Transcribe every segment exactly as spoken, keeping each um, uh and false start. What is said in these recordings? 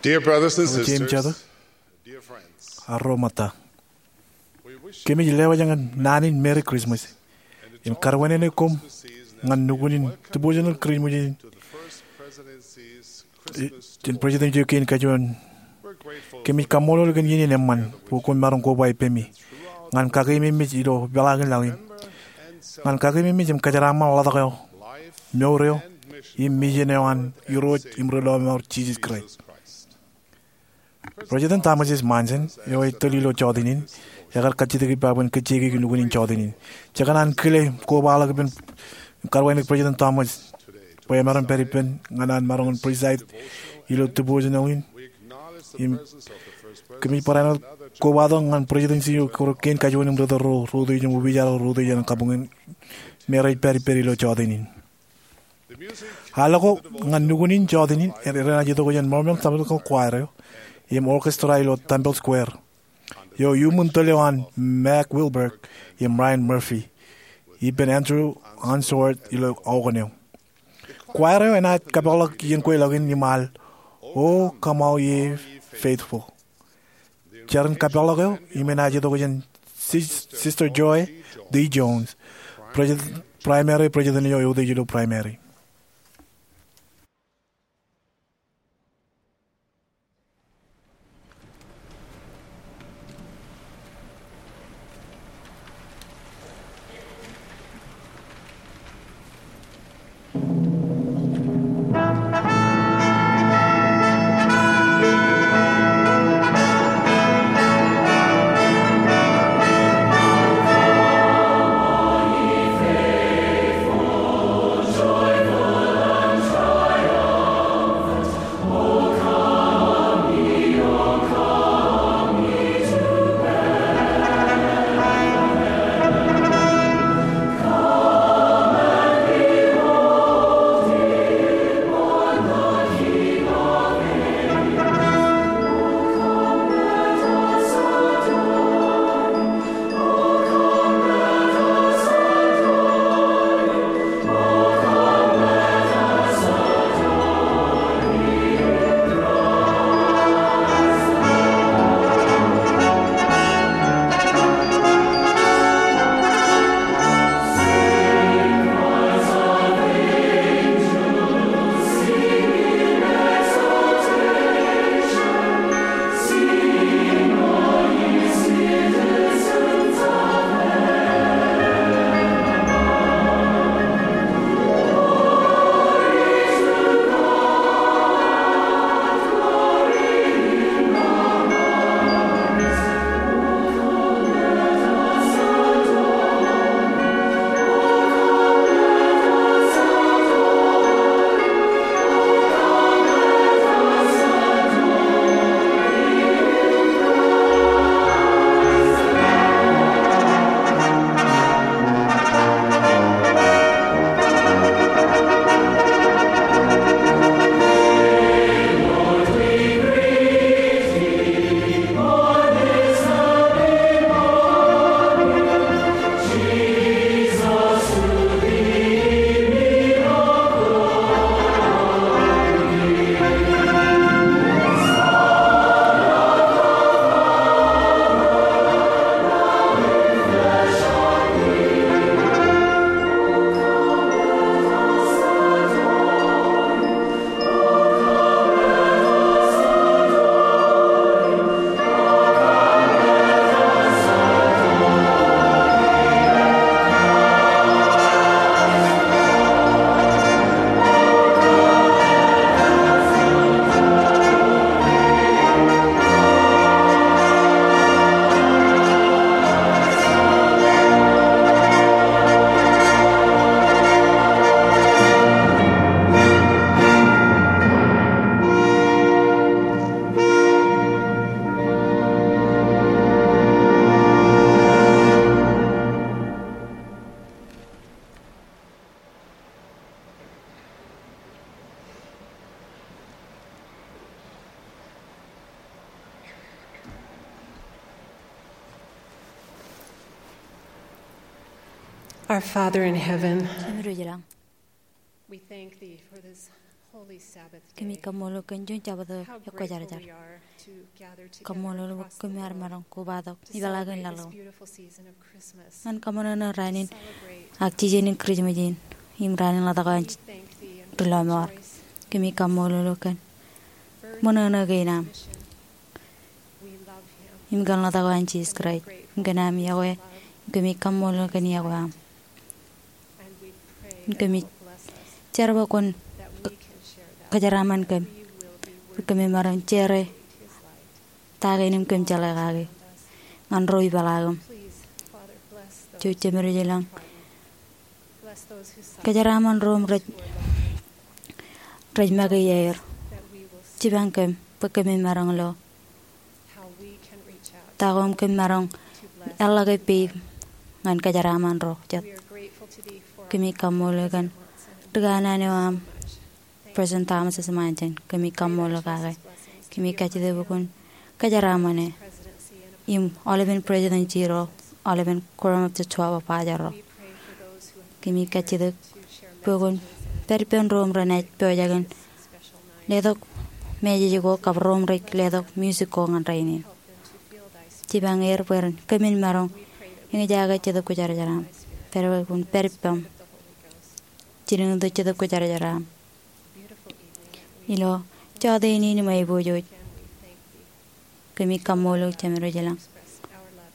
Dear brothers and sisters, jeiū jatū, dear friends, arro ṃōtta, kōmij lewōj ñan naan in Merry Christmas im karuwainene koṃ ñan nukun in devotional Christmas in jān President eo kein kajuon. Kōmij kaṃṃoolol kōn iien in eṃṃan bwe koṃ maroñ koba ippemi ñan kakememej ilo peḷaakin laḷ in, ñan kakememej im kōjeraaṃṃan ḷotak eo, mour eo, im mission eo an Irooj im Ri Lọmọọr Jisōs Kraist. President Thomas S. Monson, eo ej tōl ilo jọteen in, ekar kajjitōk ippa bwe en kōjjeiki nukun in jọteen in. Jekōṇaan kile koba ḷọk ippān karuwainene President Thomas bwe emaroñ pād ippān ñan an maroñ in preside ilo devotional in. Im kōmij barāinwōt kobatok ñan President eo kein kajuon im ri tōl ro, ro utiej im opiij ro, ro utiej an kabuñ in, im rej pād ippād ilo jọteen in. Aḷọk ko ñan nukun in jọteen in enaaj itok jān Mormon Tabernacle Choir eo im orchestra ilo Temple Square, eo iuṃwin tōl eo an Mack Wilberg im Ryan Murphy ippān Andrew Unsworth ilo organ eo. Choir eo enaaj kōpeḷḷọk iien kweilọk in im al, "O Come All Ye Faithful." Jar in kōpeḷḷọk eo im enaaj itok jān Sis-, Sister Joy D. Jones, President, Primary President eo eutiej ilo Primary. Our Father in heaven, Jemedwōj ilañ, we thank thee for this Kōmij kaṃṃoolol eok kōn juon Jabōt eo ekwōjarjar. Kaṃṃoolol bwe kōm ar maroñ kobatok ipeḷaakin laḷ eo ñan kaṃōṇōṇō raan in ak jijenin Kūrijṃōj in im raan in ḷotak eo an ri lọmọọr. Kōmij kaṃṃoolol eok kōn ṃōṇōṇō kein aṃ im kōn ḷotak eo an Jisōs Kraist im kōn aṃ iọkwe. Im kōmij kaṃṃoolol eok kōn iọkwe aṃ. Im kōmij jar bwe kwōn kōjeraaṃṃan kōm bwe kōmij maroñ share ta kein im kōm jeḷā kake ñan ro ipeḷaakim. Jouj Jemedwōj ilañ kōjeraaṃṃan ro im rej make iaer. Jipañ kōm bwe kōmij maroñ lo ta ko im kōm maroñ eḷḷọke peip ñan kōjeraaṃṃan ro jet. Kōmij kaṃṃoolol eok kōn ri kanaan eo aṃ, President Thomas S. Monson. Kōmij kaṃṃoolol eok kake. Kōmij kajjitōk bwe kwōn kōjeraaṃṃan e im aolepen presidency ro, aolepen Quorum of the Twelve apostles ro. Kōmij kajjitōk bwe kwōn pād ippān ro im renaaj pojak in letok message ko kab ro im rej letok music ko ñan rainin. Jipañ er bwe ren kōmin maroñ eñjake Jetōb Kwōjarjar aṃ. Pād bwe kwōn pād ippām. Jilkintok Jetōb Kwōjarjar aṃ ilo jọteen in im aiboojoj. Kōmij kaṃṃoolol eok Jemedwōj ilañ.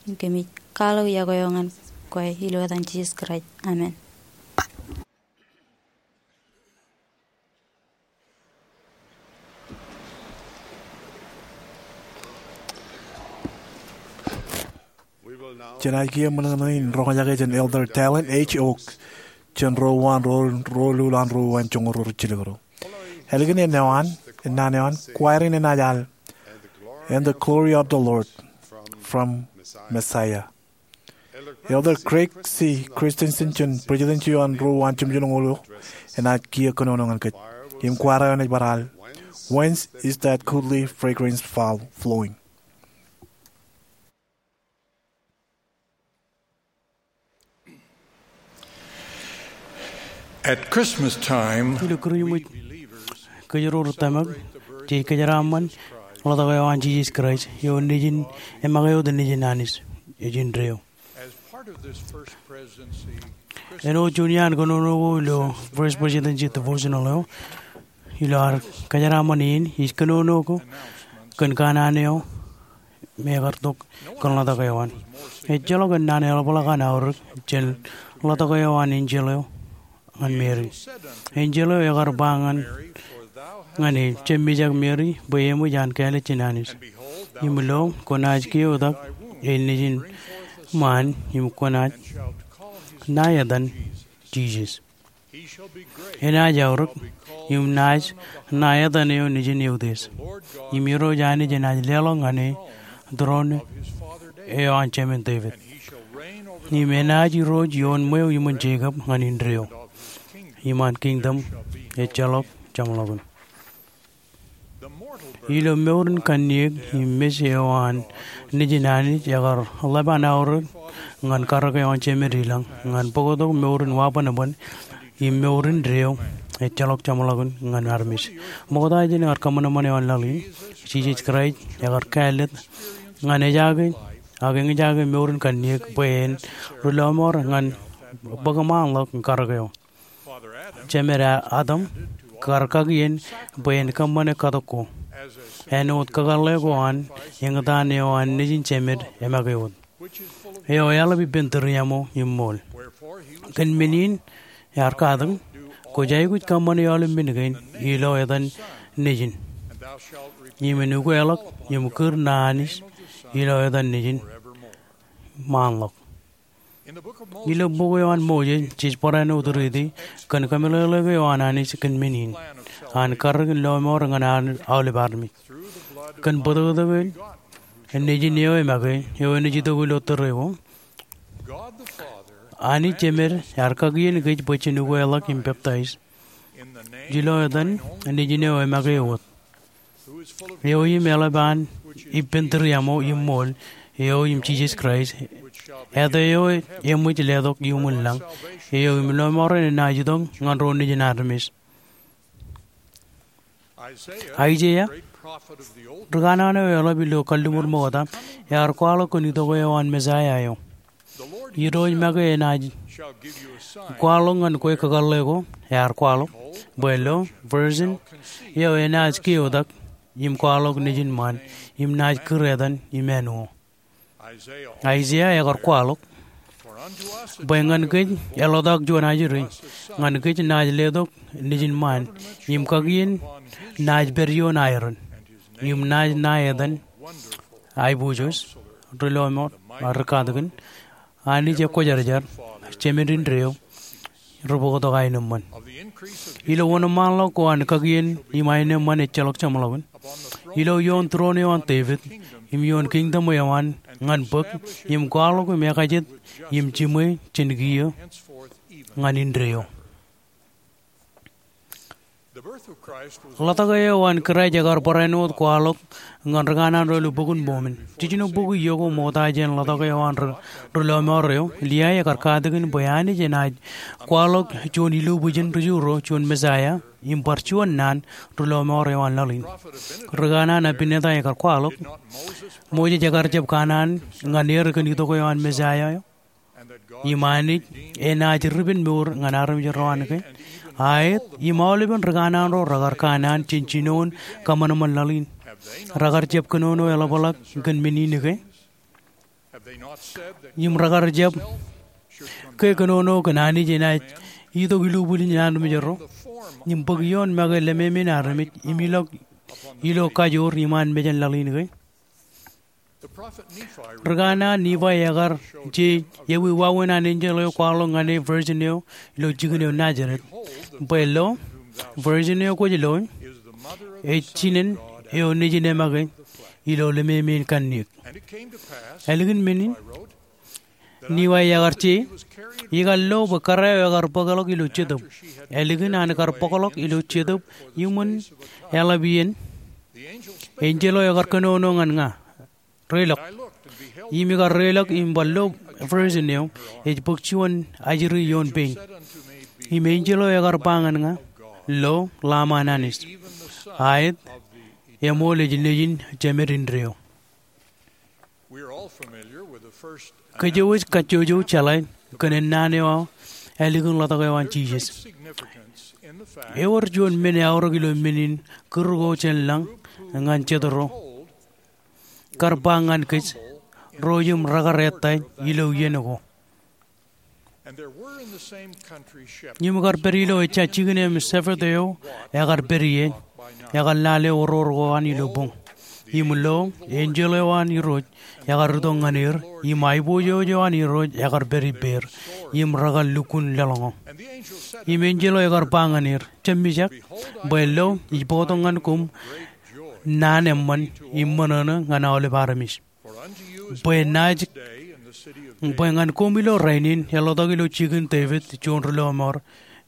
Im kōmij kwaḷọk iọkwe eo ñan kwe ilo etan Jisōs Kraist. Amen. Jenaaj kiiō ṃōṇōṇō in roñjake jān Elder Dallin H. Oaks, jān ro uwaan ro, ro lul an ro uwaan joñoul ro rijjilōk ro. Ālikin ennaan eo an, ennaan eo an, kwaer in enaaj al And the Glory of the Lord from Messiah. Elder Craig C. Christensen jān Presidency eo an ro uwaan jimjuonñoul eo enaaj kiiō kōnono ñan kōj. Im kwaer eo enaaj bar al Whence is that goodly fragrance fall, flowing? At Christmas time, ilo Kūrijṃōj, kōj ro ri tōmak jej kōjeraaṃṃan ḷotak eo an Jisōs Kraist, eo nejin, emake wōt nejin Anij, ej indeeo. Āinwōt juon iaan kōnono ko ilo First Presidency Devotional eo, ilo ad kōjeraaṃṃan in, ij kōnono ko kōn kanaan eo me ekar tok kōn ḷotak eo an. Ejjeḷọk ennaan eḷapḷọk an aorōk jān ḷotak eo an enjeḷ eo ñan Meri. Enjeḷ eo ekar ba ñan, ñan e, jab mijak Meri, bwe eṃōj an kāālōt jān Anij. Im lo, kwōnaaj keotak e nejin ṃaan, im kwōnaaj ṇae etan Jisōs. Enaaj aorōk, im naaj ṇae etan eo nejin Eutiej. Im Irooj Anij enaaj leḷọk ñan e tūroon eo an jemān Devid. Im enaaj irooj ioon ṃweo iṃōn Jekob ñan indeeo. Im an kingdom ejjeḷọk jeṃḷọkin. Ilo mour in kanniōk im mej eo an nejin Anij ekar ḷap an aorōk ñan karōk eo an Jemed ilañ, ñan bōktok mour in wabōnbōn im mour indeeo ejjeḷọk jeṃḷọkin ñan armej. Ṃokta jān ear kōṃanṃan eo an laḷ in, Jisōs Kraist ekar kāālōt ñan ejaake ak eñjake mour in kanniōk bwe en ri lọmọọr ñan bōk ṃaanḷọk in karōk eo. Jemed Adam kar kaki en bwe en kōṃṃane katok ko, āinwōt kakōḷḷe ko an eñtaan eo an nejin jemed emake wōt, eo eḷap ippān tūriaṃo im ṃool. Kōn men in ear katak, kwōj aikuj kōṃṃane aolep men kein ilo etan Nejin, im en ukeḷọk im kūr ṇa Anij ilo etan Nejin ṃaanḷọk. Ilo bok eo an Moses, jej barāinwōt riiti kōn kameḷeḷeik eo an Anij kōn men in, an karōk in lọmọọr ñan aolep armej. Kōn bōtōktōk in nejin eo emake, eo enaaj itok ilo tōre ko, Anij Jemed ear kakien kōj bwe jen ukeḷọk im peptaij ilo etan Nejin eo emake wōt, eo im eḷap an ippān tūriaṃo im ṃool, eo im Jisōs Kraist, āt eo eṃōj letok iuṃwin lañ, eo im lọmọọren enaaj itok ñan ro nejin armej. Aiseia, ri kanaan eo eḷap ilo kalliṃur ṃokta, ear kwaḷọk kōn itok eo an Mesaia eo. Irooj make enaaj kwaḷọk ñan kwe kakōḷḷe ko, ear kwaḷọk, bwe lo, virgin eo enaaj keotak, im kwaḷọk nejin ṃaan, im naaj kūr etan Imanuel. Aiseia ekar kwaḷọk, bwe ñan kōj eḷotak juon ajri, ñan kōj naaj letok nejin ṃaan, im kakien naaj pād ioon aeran, im naaj ṇa etan Aiboojoj, Ri Lọmọọr, Rikatakin, Anij Ekwōjarjar, Jemed indeeo, Ribōktok Aenōṃṃan. Ilo wōnṃaanḷọk ko an kakien im aenōṃṃan ejjeḷọk jeṃḷọkin, ilo ioon tūroon eo an Devid, im ioon kingdom eo an, ñan bōk, im kwaḷọk im ekajet, im jiṃwe jān kiiō ñan indeeo. Ḷotak eo an Kraist ekar barāinwōt kwaḷọk ñan ri kanaan ro ilo Bok in Mormon. Jijino bok iiō ko ṃokta jān ḷotak eo an ri, Ri Lọmọọr eo, Liai ekar katakin bwe Anij enaaj kwaḷọk juon ilubwijin ri Ju ro, juon Mesaia, im bar juon naan, Ri Lọmọọr eo an laḷ in. Ri kanaan Abinata ekar kwaḷọk, Moses ekar jab kanaan ñan er kōn itok eo an Mesaia eo, im Anij enaaj ripenmour ñan armej ro an ke, aet, im aolepen ri kanaan ro rekar kanaan jān jinoin kōṃanṃan laḷ in. Rekar jab kōnono eḷapḷọk kōn men in ke? Im rekar jab ke kōnono kōn Anij enaaj itok ilubwijin armej ro, im bōk ioon make lememeiin armej, im ilọk ilo kajoor iṃaan mejān laḷ in ke? Ri kanaan Nifai ekar je ewi wāween an enjeḷ eo kwaḷọk ñan e virgin eo ilo jikin eo Nazaret. Bwe lo, virgin eo kwōj lo, ej jinen eo nejin emake ilo lememeiin kanniōk. Ālikin men in, Nifai ekar je, ikar lo bwe kōrā eo ekar bōkḷọk ilo jetōb. Ālikin an kar bōkḷọk ilo jetōb iṃōn eḷap iien, enjeḷ eo ekar kōnono ñan ña, reilọk. Im ikar reilọk im bar lo virgin eo, ej bōk juon ajri ioon pein. Im enjeḷ eo ekar ba ñan ña, lo, Lamb an Anij. Aet, eṃool ej nejin Jemed indeeo. Kōjwōj kajjojo jeḷā kōn ennaan eo ālikin ḷotak eo an Jisōs. Ewōr juon men eaorōk ilo men in kūr ko jān lañ ñan jet ro kar ba ñan kōj, ro im rekar ettā ilo iien ko. Im kar pād ilo ejja jikin im shepherd eo ekar pād ie, ekar lale oror ko an ilo boñ. Im lo, enjeḷ eo an Irooj ekar itok ñan er, im aiboojoj eo an Irooj ekar pād ippāer, im rekar lukkuun leḷọñọ. Im enjeḷ eo ekar ba ñan er, jab mijak, bwe lo, ij bōktok ñan koṃ naan eṃṃan im ṃōṇōṇō ñan aolep armej. Bwe naaj, bwe ñan koṃ ilo rainin eḷotak ilo jikin Devid juon ri lọmọọr,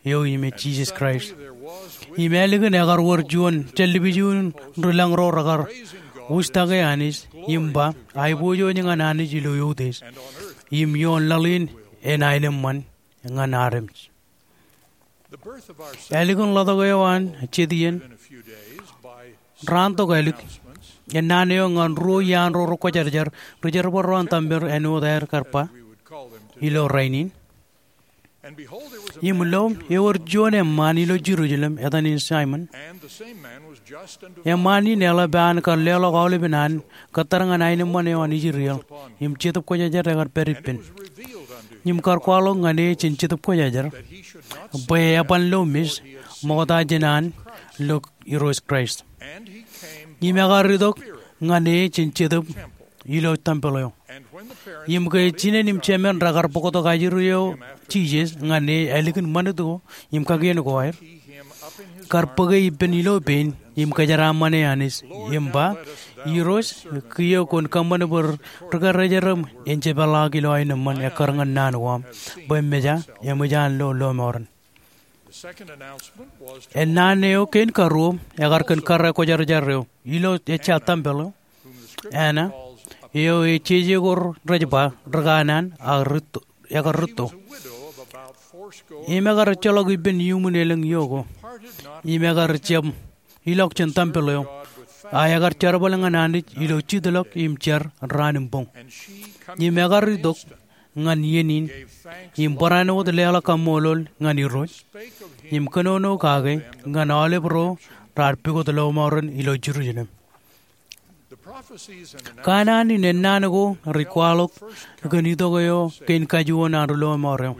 eo im ej Jisōs Kraist. Im ālikin ekar wōr juon jān ḷapij in ri lañ ro rekar wūjtake Anij im ba, aiboojoj ñan Anij ilo eutiej, im ioon laḷ in en aenōṃṃan ñan armej. Ālikin ḷotak eo an jet iien, raan tok ālik, ennaan eo ñan ruo iaan ro rekwōjarjar ri jerbal ro an tempel āinwōt aer kar ba ilo rainin. Im lo, ewōr juon eṃṃaan ilo Jerusalem etan in Saimōn. Eṃṃaan in eḷap an kar leḷọk aolepen an kōttar ñan aenōṃṃan eo an Israel, im Jetōb Kwōjarjar ekar pād ippān. Im kar kwaḷọk ñan e jān Jetōb Kwōjarjar, bwe eban lo mej ṃokta jān an lo Irooj Kraist. Im ekar itok ñan e jān jetōb ilo tempel eo. Im ke jinen im jemān rekar bōktok ajri eo Jisōs ñan e ālikin ṃanit ko im kakien ko aer, kar bōke ippān ilo pein im kōjeraaṃṃan e Anij im ba, Irooj, kiiō kwōn kōṃṃan bwe ri karijeram en je peḷḷọk ilo aenōṃṃan ekkar ñan naan ko aṃ, bwe meja eṃōj an lo lọmọọren. Ennaan eo kein karuo ekar kōn kōrā kwōjarjar eo ilo ejja tempel eo, Anna, eo ej jeje ko rej ba ri kanaan ak rūtto, ekar rūtto. Im ekar ejjeḷọk ippān iuṃwin elōñ iiō ko. Im ekar jab ilọk jān tempel eo, a ekar jerbal ñan Anij ilo jitḷọk im jar raan im boñ. Im ekar itok ñan iien in, im barāinwōt wōt leḷọk kaṃṃoolol ñan Irooj, im kōnono kake ñan aolep ro raar pukot lọmọọren ilo Jerusalem. Kanaan in ennaan ko rej kwaḷọk kōn itok eo kein kajuon an ri lọmọọr eo.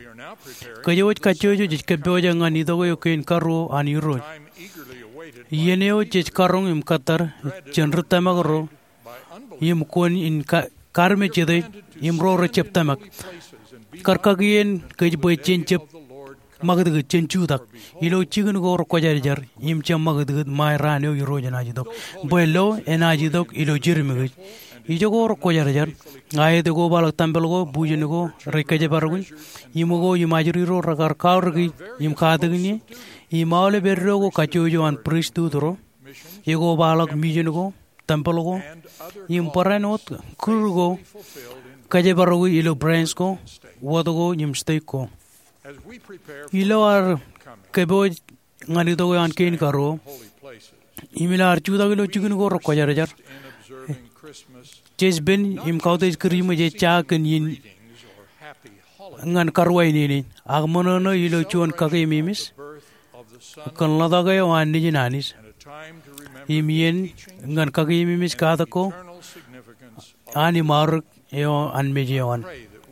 Kōjwōj kajjojo jej kōppojak ñan itok eo kein karuo an Irooj. Iien eo jej karoñ im kōttar jān ri tōmak ro im kuwōn in ka-, karmejete im ro rejjab tōmak. Kar kakien kōj bwe jen jab ṃakūtkūt, jen jutak ilo jikin ko rekwōjarjar im jab ṃakūtkūt ṃae raan eo Irooj enaaj itok. Bwe lo enaaj itok ilo jidim kōj. Ijoko rekwōjarjar, a ej kobaḷọk tempel ko, bujen ko rej kōjparok in, im ko im ajri ro rekar kaorōk e im katakin e, im aolep eddo ko kajjojo an pristut ro, ekobaḷọk mission ko, tempel ko, im barāinwōt kūr ko kōjparok e ilo branch ko, wōt ko im state ko. Ilo ad kōpooj ñan itok eo an kein karuo, im ilo ad jutak ilo jikin ko rekwōjarjar, jej pen im kautiej Kūrijṃōj ej ja kōn iien ñan karuwainene, ak ṃōṇōṇō ilo juon kakememej kōn ḷotak eo an Nejin Anij, im iien ñan kakememej katak ko an im aorōk eo an mej eo an.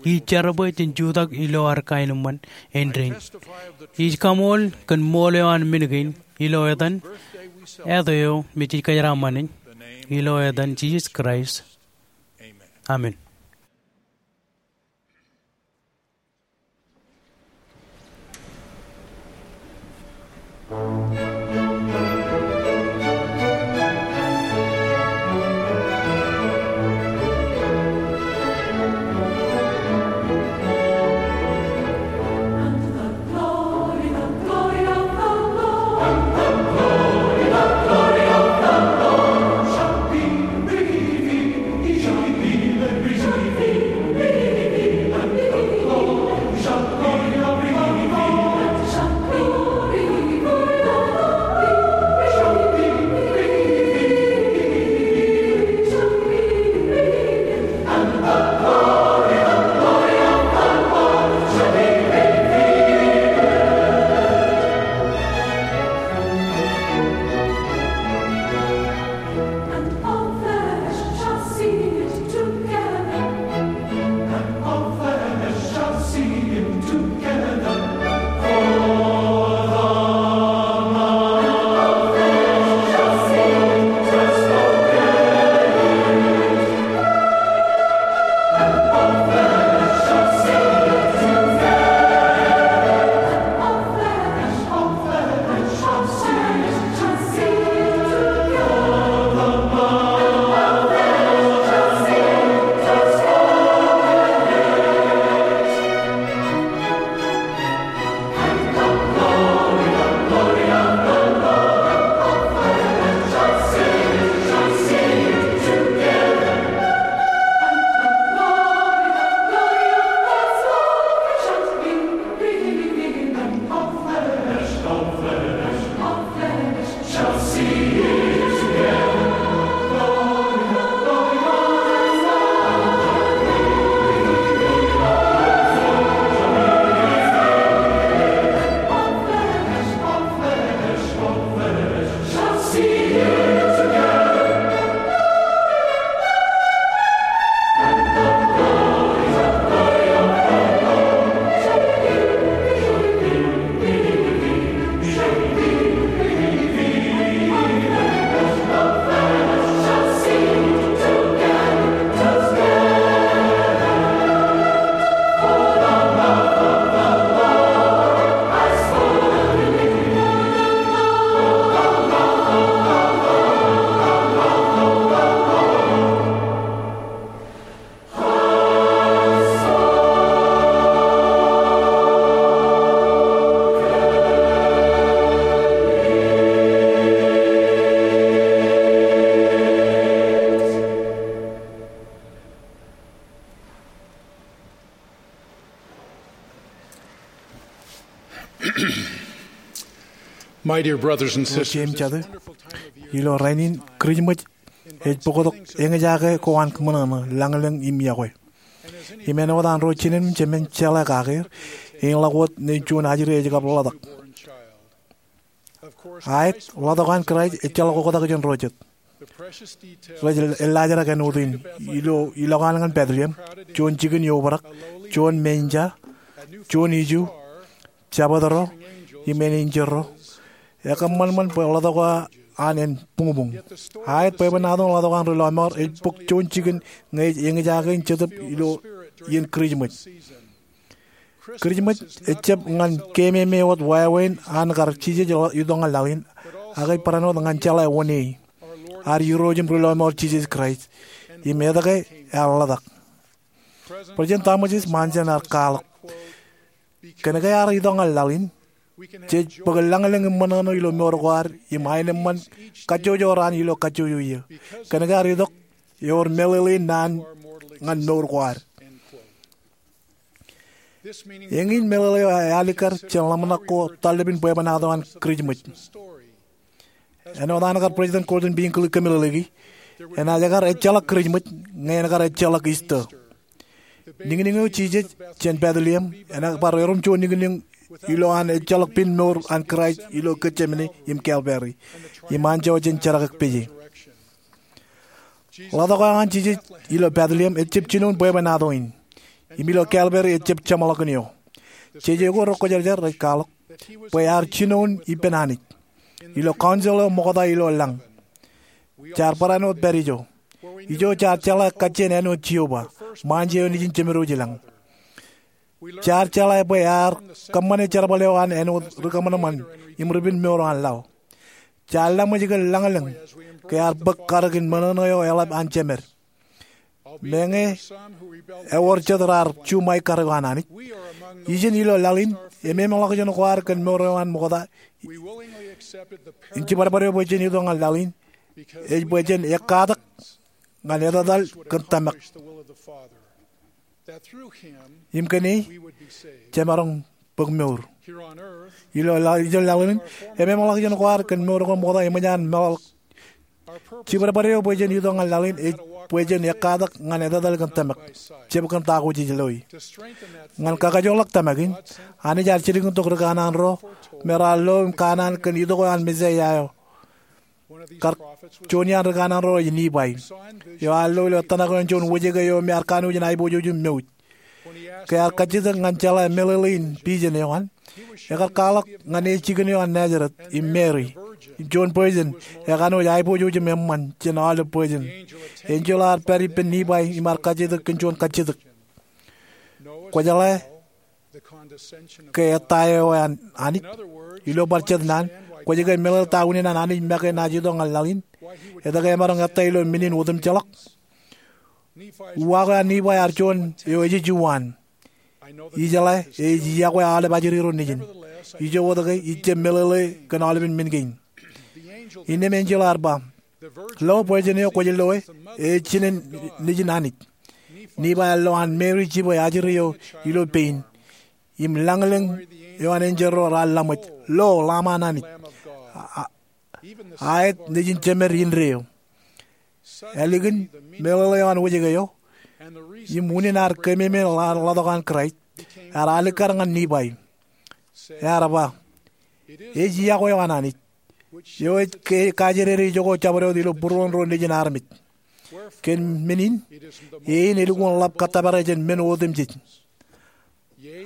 Ij jar bwe jen jutak ilo ad kaenōṃṃan āindein. Ij kaṃool kōn ṃool eo an men kein ilo etan Āt eo me jej kōjeraaṃṃan in, ilo etan Jisōs Kraist. Amen. And all flesh shall see it together. And all flesh shall see it together. For the Lord shall see it has spoken it. My dear brothers and sisters, jeiū im jatū, ilo rainin Kūrijmōj ej bōktok eñjake ko an kōṃṃan ṇe lañlōñ im iọkwe. Im āinwōt an ro jinen im jemān jeḷā kake er, eñḷọk wōt nen juon ajri ej kab ḷotak. Aet, ḷotak eo an Kraist ejjeḷọk oktak jān ro jet. Rej eḷḷaajrak āinwōt in, ilo, ilọk an ñan Bethlehem, juon jikin eobrak, juon menja, juon iju, jabōtro, im āne enjeḷ ro. Ekōṃṃan ṃōṇ bwe ḷotak eo an en buñbuñ. Aet, bwebwenato in ḷotak eo an ri lọmọọr ej bōk juon jikin ñe ej eñjake in Jetōb ilo iien Kūrijmōj. Kūrijmōj ejjab ñan keememej wōt wāween an kar Jisōs itok ñan laḷ in, ak ej barāinwōt ñan jeḷā oṇeei, ad Irooj im ri lọmọọr Jisōs Kraist, im etke ear ḷotak. President Thomas S. Monson ear kwaḷọk, kōnke ear itok ñan laḷ in, jej bōk lañlōñ im ṃōṇōṇō ilo mour ko ad, im aenōṃṃan kajjojo raan ilo kajjojo iiō. Kōnke ear itok, ewōr meḷeḷein naan ñan mour ko ad. Eñin meḷeḷe eo ealikkar jān ḷōmṇak ko tarlepin bwebwenato an Kūrijmōj. Āinwōt an kar President Gordon B. Hinckley kōmeḷeḷeiki, enaaj kar ejjeḷọk Kūrijmōj, ñe en kar ejjeḷọk Easter. Niñniñ eo Jisōs jān Bethlehem enaaj bar erom juon niñniñ ilo an ejjeḷọk pen mour an Kraist ilo Getsemane im Calvary, im anjọ jān jerkakpeje. Ḷotak eo an Jisōs ilo Bethlehem ejjab jinoin bwebwenato in, im ilo Calvary ejjab jeṃḷọkin eo. Jeje ko rekwōjarjar rej kwaḷọk bwe ear jinoin ippān Anij ilo council eo ṃokta ilo lañ. Jaar barāinwōt pād ijo. Ijo jaar jeḷā kajjien āinwōt Jeova, ṃaanjẹ eo nejin jemed eo ilañ. Jaar jeḷā bwe ear kōṃṃane jerbal eo an āinwōt ri kōṃanṃan im ri pen mour eo an laḷ. Jaar laṃōj kōn lañlōñ ke ear bōk karōk in ṃōṇōṇō eo eḷap an jemed. Meñe ewōr jet raar juṃae karōk eo an Anij, ijin ilo laḷ in, ememḷọkjeṇ ko ad kōn mour eo an ṃokta in jibadbad eo bwe jen itok ñan laḷ in, ej bwe jen ekkatak ñan etetal kōn tōmak, im kōn e jemaroñ bōk mour. Ilo laḷ, ilo laḷ in, ememḷọkjeṇ ko ad kōn mour ko ṃokta eṃōj an meḷọk. Jibadbad eo bwe jen itok ñan laḷ in ej bwe jen ekkatak ñan etetal kōn tōmak, jab kōn ta ko jej loe. Ñan kakajoorḷọk tōmak in, Anij ear jilkintok ri kanaan ro me raar lo im kanaan kōn itok eo an Mesaia eo. Kar juon iaan ri kanaan ro ej Nibai, eo ear lo ilo ettōṇak eo an juon wōjke eo me ear kanooj in aiboojoj im mouj. Ke ear kajjitōk ñan jeḷā meḷeḷein vision eo an, ekar kwaḷọk ñan e jikin eo an Nazareth im Mary, im juon virgin, ekanooj aiboojoj im eṃṃan jān aolep virgin. Enjeḷ ear pād ippān Nibai im ear kajjitōk kōn juon kajjitōk. Kwōjeḷā ke ettā eo an Anij? Ilo bar jet naan, kwōj ke meḷeḷe ta unin an Anij make naaj itok ñan laḷ in? Etke emaroñ ettā ilo men in otemjeḷọk? Uwaak eo an Nibai ear juon eo ej juon. Ijeḷā ej iọkwe aolep ajri ro nejin. Ijo wōt ke ij jab meḷeḷe kōn aolepen men kein. Innām enjeḷ ear ba, lo, virgin eo kwōj loe, ej jinen Nejin Anij. Nibai ear lo an Mary jibwe ajri eo ilo pein, im lañlōñ eo an enjeḷ ro raar laṃōj, lo, Lamb an Anij, a, a, aet nejin jemed indeeo. Ālikin meḷeḷe eo an wōjke eo im unin ad keememej ḷotak eo an Kraist, ear alikkar ñan Nibai. Ear ba, ej iọkwe eo an Anij, eo ej ke, kajjidede ijoko jabdewōt ilo būruon ro nejin armej. Kōn men in, e in elukkuun ḷap kōttōpare jān men otemjej.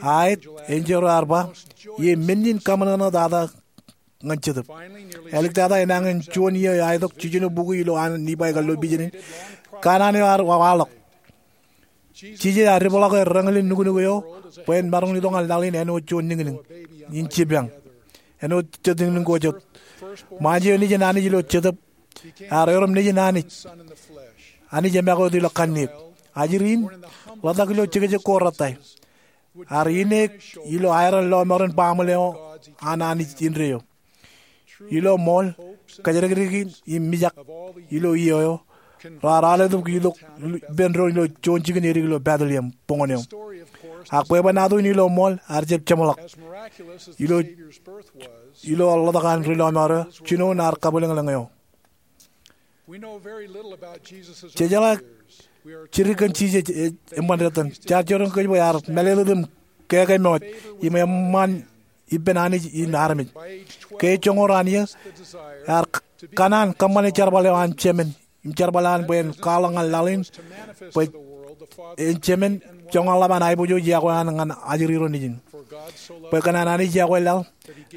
Aet, enjeḷ eo ear ba, ie men in kaṃōṇōṇō tata ñan Jetōb. Āliktata enañin juon iiō aetok jiljino bukwi ilo an Nibai kallo vision in, kanaan eo ear waḷọk. Jisōs ear dipḷọk er reñin nuknuk eo bwe en maroñ itok ñan laḷ in āinwōt juon niñniñ in jipañ, āinwōt jet niñniñ ko jet. Ṃaanjẹ eo nejin Anij ilo Jetōb, ear erom nejin Anij, Anij eṃake wōt ilo kanniōk. Ajri in ḷotak ilo jekjek ko rettā. Ear ineek ilo aeran lọmọọren baaṃle eo an Anij indeeo. Ilo ṃool, kōjatdikdik im mijak ilo iiō eo, raar aoletok itok ippān doon ilo juon jikin edik ilo Bethlehem, boñōn eo. Ak bwebwenato in ilo ṃool ear jab jeṃḷọk. Ilo, ilo ḷotak an ri lọmọọr eo, jinoin ear kabwilōñlōñ eo. Jejeḷā jidik kōn Jisōs, e, eṃṃan etan. Jaar jiroñ kōj bwe ear mālōtlōt im kōkōmoot im eṃṃan ippān Anij in armej. Ke joñoul raan iiō, ear kanaan kōṃṃane jerbal eo an Jemān im jerbal eo an bwe en kwaḷọk ñan laḷ in bwe en Jemān joñan ḷap an aiboojoj yokwe an ñan ajri ro nejin. Bwe kōn an Anij yokwe laḷ,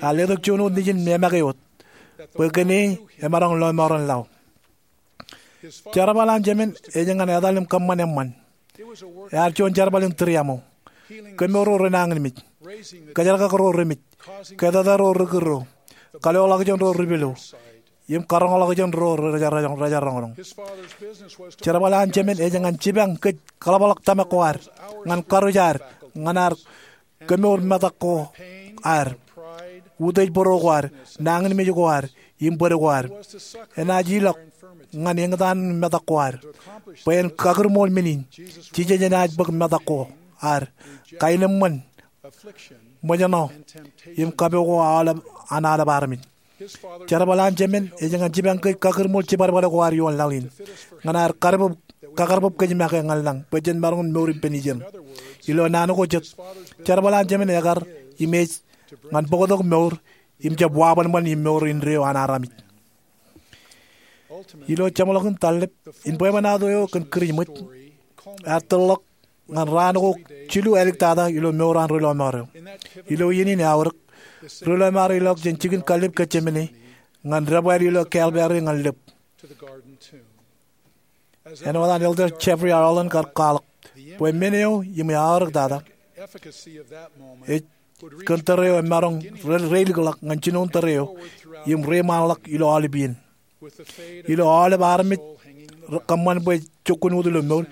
ear letok juon wōt nejin im make wōt, bwe kōn e emaroñ lọmọọren laḷ. Jerbal an Jemān ej ñan etal im kōṃṃan eṃṃan. Ear juon jerbal in tūriaṃo. Kemour ro renañinmej. Kōjerakak ro remej. Ketata ro rikūrro. Kaloḷọkjeṇ ro ripilo. Im karoñḷọkjeṇ ro rejaroñroñ. Jerbal an Jemān ej ñan jipañ kōj kaḷapḷọk tōmak ko ad, ñan karuj ad, ñan ad kemour metak ko ad, utiej būro ko ad, nañinmej ko ad, im bōd ko ad. Enaaj ilọk ñan eñtaan metak ko ad. Bwe en kakūrmool men in, Jisōs enaaj bōk metak ko ad, kaenōṃṃan, ṃōjṇọ, im kapo ko aolep an aolep armej. Jerbal an Jemān ej ñan jipañ kōj kakūrmool jibadbad ko ad ioon laḷ in, ñan ad kar bōb, kakar bōb kōj make ñan lañ bwe jen maroñ in mour ippān ijeṇ. Ilo naan ko jet, jerbal an Jemān ekar im ej ñan bōktok mour im jab wabanban im mour indeeo an armej. Ilo jeṃḷọkin tallep in bwebwenato eo kōn Kūrijṃōj, ear tōrḷọk ñan raan ko jilu āliktata ilo mour an ri lọmọọr eo. Ilo iien in eaorōk, ri lọmọọr eo ilọk jān jikin kallib Getsemane ñan debwāāl ilo Kalbari ñan lōb. Āinwōt an Elder Jeffrey R. Holland kar kwaḷọk, bwe men eo im eaorōktata ej kōn tōre eo emaroñ re, reilikḷọk ñan jinoin tōre eo im reiṃaanḷọk ilo aolep iien. Ilo aolep armej kōṃṃan bwe jokkun wōt ilo mour,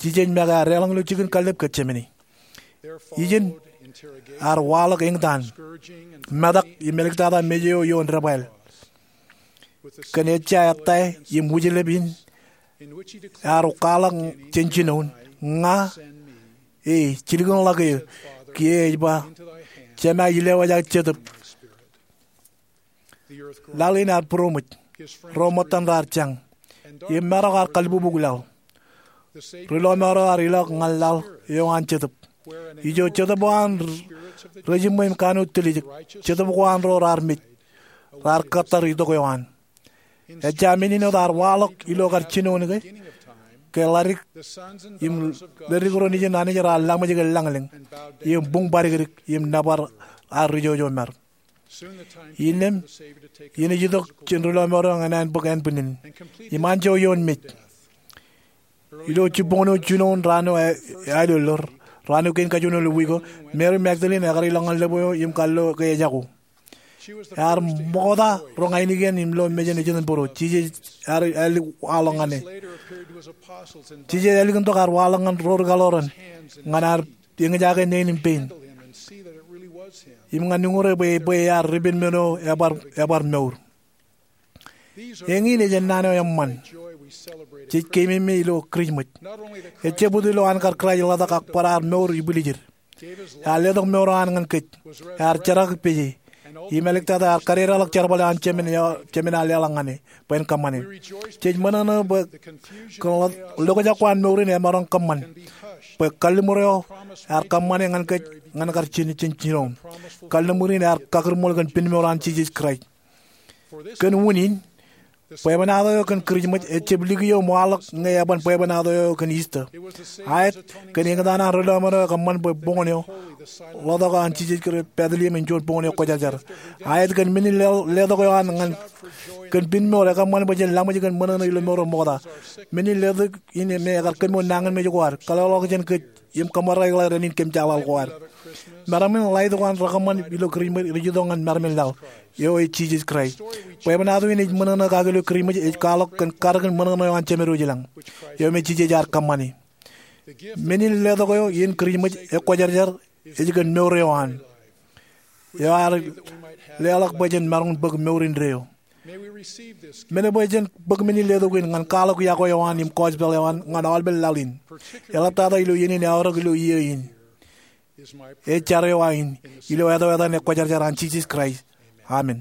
Jisōs make ear deḷọñ ilo jikin kallib Getsemane. Ijin, ear waḷọk eñtaan, metak im āliktata mej eo ioon debwāāl. Kōn ejja ettā im wūjlep in, ear kwaḷọk jān jinoin, ña, e, jilkinḷọk eō. Kiiō ej ba, Jema, ilewōj aō jetōb. Laḷ in ear būroṃōj. Ro ṃōttan raar jañ. Im marok ear kalbubuk laḷ. Ri lọmọọr eo ear ilọk ñan laḷ eo an jetōb, ijo jetōb eo an r-, rejiṃṃwe im kanooj tiljek, jetōb ko an ro raar mej, raar kōttar itok eo an. Ejja men in wōt ear waḷọk ilo kar jinoin ke, ke ḷadik im ledik ro nejin Anij raar laṃōj ke lañlōñ, im buñ badikdik, im nōbar ar rijojomar. Innām, iien ej itok jān ri lọmọọr eo ñan an bōk ānbwinnin im anjọ ioon mej. Ilo jibboñōn eo jinoin raan eo e, eaḷoḷḷor, raan eo kein kajuon ilo wiik eo, Mary Magdalene ekar ilọk ñan lōb eo im kallo ke ejako. Ear ṃokta roñ ainikien im lo mejān ejitōnbōro. Jisōs ear, ear ālik waḷọk ñan e. Jisōs ālikintok ear waḷọk ñan ro ri kaḷoran, ñan ad eñjake neen im pein, im ñan uñūre bwe, bwe ear ripen men eo ebar, ebar mour. Eñin ej ennaan eo eṃṃan jej keememej ilo Kūrijṃōj. Ejjab wōt ilo an kar Kraist ḷotak ak bar ear mour ibwiljid. Ear letok mour eo an ñan kōj. Ear jerak peje. Im āliktata ear kadedeḷọk jerbal eo an Jemān eo, Jemān ear leḷọk ñan e bwe en kōṃṃane. Jej ṃōṇōṇō bwe kōn lo, lokjak ko an mour in emaroñ kōṃṃan. Bwe kalliṃur eo ear kōṃṃane ñan kōj ñan kar jin, jin, jinoin. Kalliṃur in ear kakūrmool kōn pinmour an Jisōs Kraist. Kōn unin, bwebwenato eo kōn Kūrijṃōj ejjab likio im waḷọk ñe eban bwebwenato eo kōn Easter. Aet kōn eñtaan an ri lọmọọr eo ekōṃṃan bwe boñōn eo ḷotak eo an Jisōs Kraist Bethlehem en juon boñōn eo kwōjarjar. Aet kōn men in le, letok eo an ñan kōn pinmour ekōṃṃan bwe jen laṃōj kōn ṃōṇōṇō ilo mour eo ṃokta. Men in letok in me ekar kōmour nañinmej ko ad, kaloḷọk jān kōj, im kōṃṃan ḷọk rainin kōm jaḷaḷ ko ad. Meram in ḷaitok an rekōṃṃan ilo Kūrijṃōj rej itok ñan meram in laḷ, eo ej Jisōs Kraist. Bwebwenato in ej ṃōṇōṇō kake ilo Kūrijṃōj ej kwaḷọk kōn karōk in ṃōṇōṇō eo an Jemān Wōjlañ, eo me Jisōs ear kōṃṃane. Men in letok eo in Kūrijṃōj ekwōjarjar ej kōn mour eo an, eo ear leḷọk bwe jen maroñ bōk mour indeeo. Men bwe jen bōk men in letok in ñan kwaḷọk yokwe eo an im gospel eo an ñan aolepen laḷ in, eḷaptata ilo iien in eaorōk ilo iiō in. Ej jar eo aō in, ilo ātō etan eo kwōjarjar an Jisōs Kraist. Amen.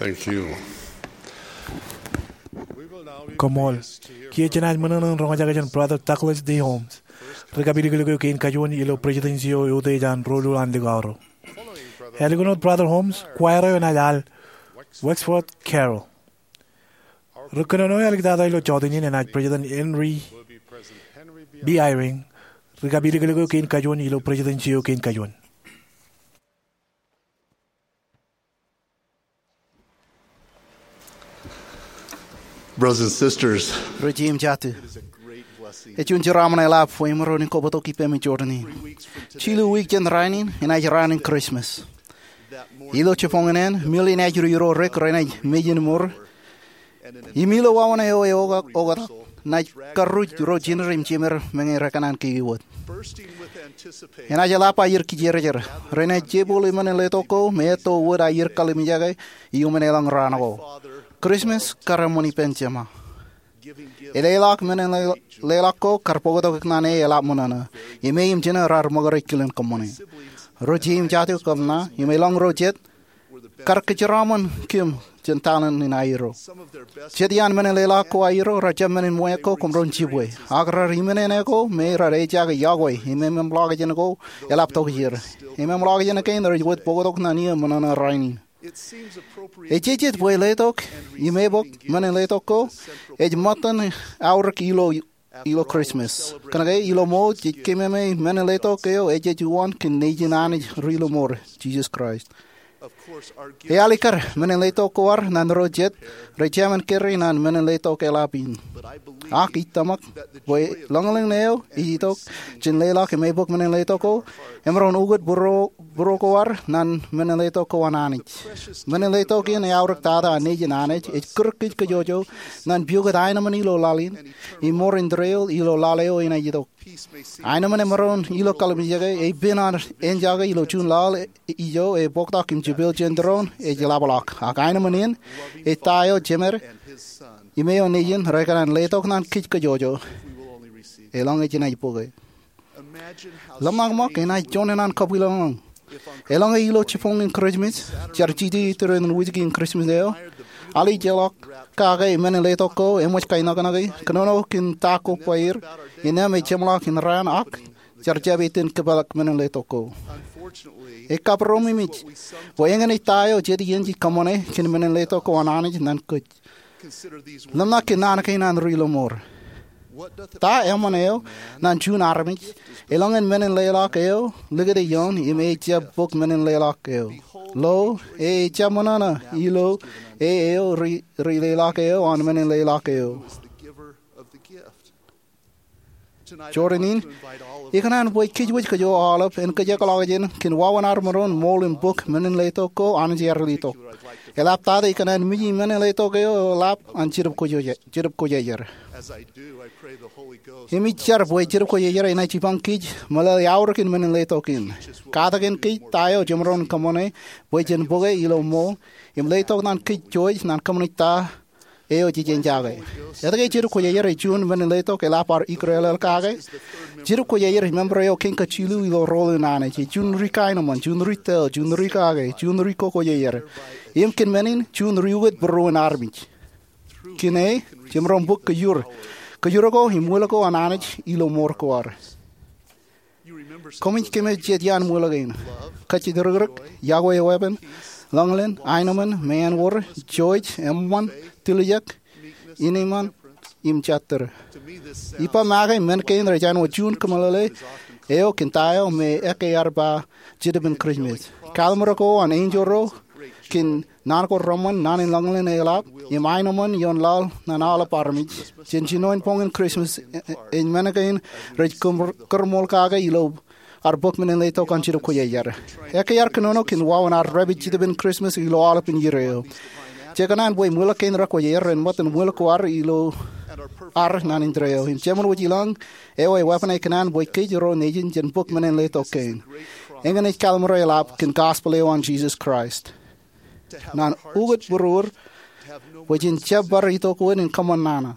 Thank you. Koṃṃool. Kiiō jenaaj ṃōṇōṇō in roñjake jān Brother Douglas D. Holmes, ri kapilōklōk eo kein kajuon ilo Presidency eo Utiej an Doulul an Likao Ro. Ālikin wōt Brother Holmes, choir eo enaaj al Wexford Carol. Ri kōnono eo āliktata ilo jota in enaaj President Henry B. Eyring, ri kapilōklōk eo kein kajuon ilo Presidency eo kein kajuon. Brothers and sisters, ri jeiū im jatū, ej juon jeraaṃṃan eḷap bwe imaroñ in kobtok ippemi jorrāān in. Jilu wiik jān raan in, enaaj raan in Christmas. Ilo jibboñōn in, mil enaaj ri ro rik renaaj mejān mour. Im ilo wāween eo eoktak, naaj karruj ro jined im jemed meñe rekōṇaan kiki wōt. Enaaj eḷap aer kijerjer. Renaaj jebōle men in letok ko, im etto wōt aer kalimjeke iuṃwin eḷọñ raan ko. Christmas kar eṃṃan ippān Jema. Eḷḷọk men in leḷọk ko kar bōktok ikōṇaan e eḷap ṃōṇōṇō. Im e im jino raar ṃōkaj kilen kōṃṃane. Ri jeiū im jatū kōm ṇa, im elōñ ro jet, kar kōjeraaṃṃan kōm jān talent in aerro. Jet iaan men in leḷọk ko aerro, rejjab men in ṃweiuk ko koṃ roñ jibwe. Ak raar iminene ko, me raar ejaake yokwe, im ememḷọkjeṇ ko, eḷap tokjāer. Im ememḷọkjeṇ kein rej wōt bōktok ṇe ṃōṇōṇō rainin. Ejejjet bwe letok, im ebōk men in letok ko, ej ṃōttan aorōk ilo ilo Christmas. Kōnke ilo ṃool jej kememej men in letok eo ejej uwaan kōn Nejin Anij ri ilo mour, Jesus Christ. Ealikkar men in letok ko ad ñan ro jet rej jemān kōrā ñan men in letok eḷap in. Ak ij tōmak bwe lōñlōñ eo ej itok jān leḷọk im ebōk men in letok ko, emaroñ ukōt būruo ko ad ñan men in letok ko an Anij. Men in letok in eaorōk tata an Nejin Anij ej kūr kōj kōjwōjwōj ñan piokūt aenōṃṃan ilo laḷ in, im mour indeeo ilo laḷ eo enaaj itok. Aenōṃṃan emaroñ ilo kalimjeke, epen an ejaake ilo juon laḷ ijo ebōktok im jepel jān tūroon ej ḷapḷọk. Ak aenōṃṃan in, ej ta eo jemed im eo Nejin rekōṇaan letok ñan kōj kōjwōjwōj. Elōñ ej enaaj bōke. Ḷōmṇak ṃōk enaaj juon naan kab ilọk ḷọk. Eḷaññe ilo jibboñ in Christmas, jar jijet iturin wūjki in Christmas eo, alijeḷọk kake men in letok ko, eṃōj kainōknōki, kōnono kōn ta kobaer, innām ej jeṃḷọk in raan ak jar jab itōn kōpeḷḷọk men in letok ko. Ekkapromemej bwe eñin ej ta eo jet iien jej kōṃṃane kōn men in letok ko an Anij ñan kōj. Ḷōmṇak kōn naan kein an ri ilo mour. Ta eṃṃan eo ñan juon armej, eḷaññe men in leḷọk eo likūt ioon im e jab bōk men in leḷọk eo? Lo, e ejjab ṃōṇōṇō ilo e eo ri, ri leḷọk eo an men in leḷọk eo. Jorrāān in, ikōṇaan bwe kōjwōj kōj aolep en kōjekḷọkjeṇ kōn wāween ad maroñ ṃool im bōk men in letok ko Anij ear letok. Eḷaptata ikōṇaan miji men in letok eo eḷap an Jetōb Kwōjarjar. Im ij jar bwe Jetōb Kwōjarjar enaaj jipañ kōj meḷeḷe aorōk in men in letok in. Katakin kōj ta eo jemaroñ kōṃṃane bwe jen bōke ilo ṃool im letok ñan kōj jouj ñan kōṃṃane ta eo jej ejaake. Etke Jetōb Kwōjarjar ej juon men in letok eḷap ar ikōrḷọk kake? Jetōb Kwōjarjar ej member eo kein kajilu ilo rool in Anij. Ej juon ri kaenōṃṃan, juon ri tōl, juon ri kake, juon ri kokwōjarjar. Im kōn men in, juon ri ukōt būruon armej. Kōn e, jemaroñ bōk kōjur, kōjur ko im will ko an Anij ilo mour ko ad. Koṃij kōmij jet iaan will kein: kajjitōk rikrik, yokwe eweepen, lōñlōñ, aenōṃṃan, meanwōr, jouj, eṃṃan, tiljek, innem, im jatūr. Ippa make men kein rej āinwōt juon kōmeḷeḷe eo kōn ta eo me ekkā ear ba Jetōb in Christmas. Kalimro ko an enjeḷ ro kōn naan ko reṃṃan, naan in lōñlōñ eḷap, im aenōṃṃan ioon laḷ ñan aolep armej jān jinoin boñ in Christmas, e, e, ej men kein rej kōm-, kōṃṃan kake ilo ad bōk men in letok an Jetōb Kwōjarjar. Ekkā ear kōnono kōn wāween ad dāpij Jetōb in Christmas ilo aolepān iiō eo. Jekōṇaan bwe will kein rekwōjarjar en ṃōttan will ko ad ilo ad naan indeeo. Im jeṃaan wōj ilọk, eo eweeppān ekōṇaan bwe kōj ro nejin jen bōk men in letok kein. Eñin ej kalimro eḷap kōn gospel eo an Jesus Christ. Ñan ukōt būruod, bwe jen jab bar itok wōt in kōṃṃan nana,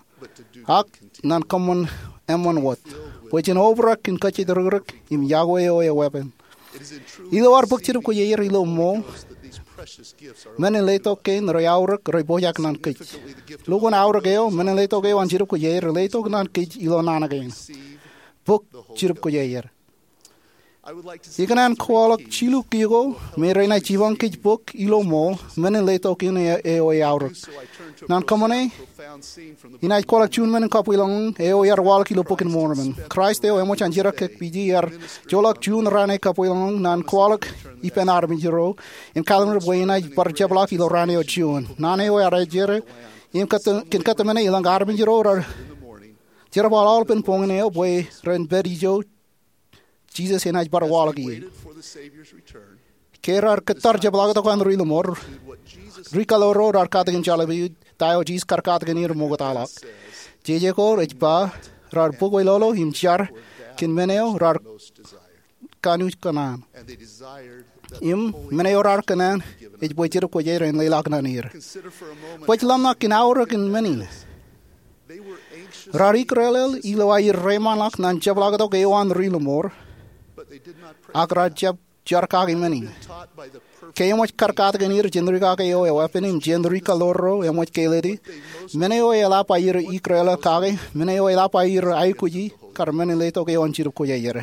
ak ñan kōṃṃan eṃṃan wōt, bwe jen obrak kōn kajjitōk rikrik im yokwe eo eweeppān. Ilo ad bōk Jetōb Kwōjarjar ilo ṃool, men in letok kein rej aorōk rej pojak naan kōj. Lukkuun aorōk eo, men in letok eo an Jetōb Kwōjarjar letok naan kōj ilo naan kein. Bōk Jetōb Kwōjarjar. Ikōṇaan kwaḷọk jilu kiiō ko me renaaj jipañ kōj bōk ilo ṃool men in letok in eo eaorōk. Ñan kōṃṃane, inaaj kwaḷọk juon men in kabwilōñlōñ eo ear waḷọk ilo Bok in Mormon. Kraist eo eṃōj an jerkakpeje ear joḷọk juon raan eo kabwilōñlōñ ñan kwaḷọk ippān armej ro in kallim̧ur bwe enaaj bar jepḷaak ilo raan eo juon. Naan eo ear ejjeḷọk im kōn kōttāmāne ilañ armej ro raar jerbal aolepān boñin eo bwe ren pād ijo Jisōs enaaj bar waḷọk ie. Ke raar kōttar jepḷaaktok an ri lōṃor, ri kaḷoor ro raar katakin jeḷā peiū ta eo Jisōs kar katakin er ṃoktaḷọk. Jeje ko ej ba, raar bōk wōtlọḷọk im jar kōn men eo raar kanooj kōṇaan. Im men eo raar kōṇaan ej bwe Jetōb Kwōjarjar en leḷọk naan er. Bōk ḷōmṇak kōn aorōk in men in. Raar ikōrḷọk ilo aer reiṃaanḷọk ñan jepḷaaktok eo an ri lōṃor, ak raar jab jar kake men in. Ke eṃōj kar katakin er jān ri kake eo eweeppān im jān ri kaḷoor ro eṃōj kālōte, men eo eḷap aer ikōrḷọk kake, men eo eḷap aer aikuji, kar men in letok eo an Jetōb Kwōjarjar.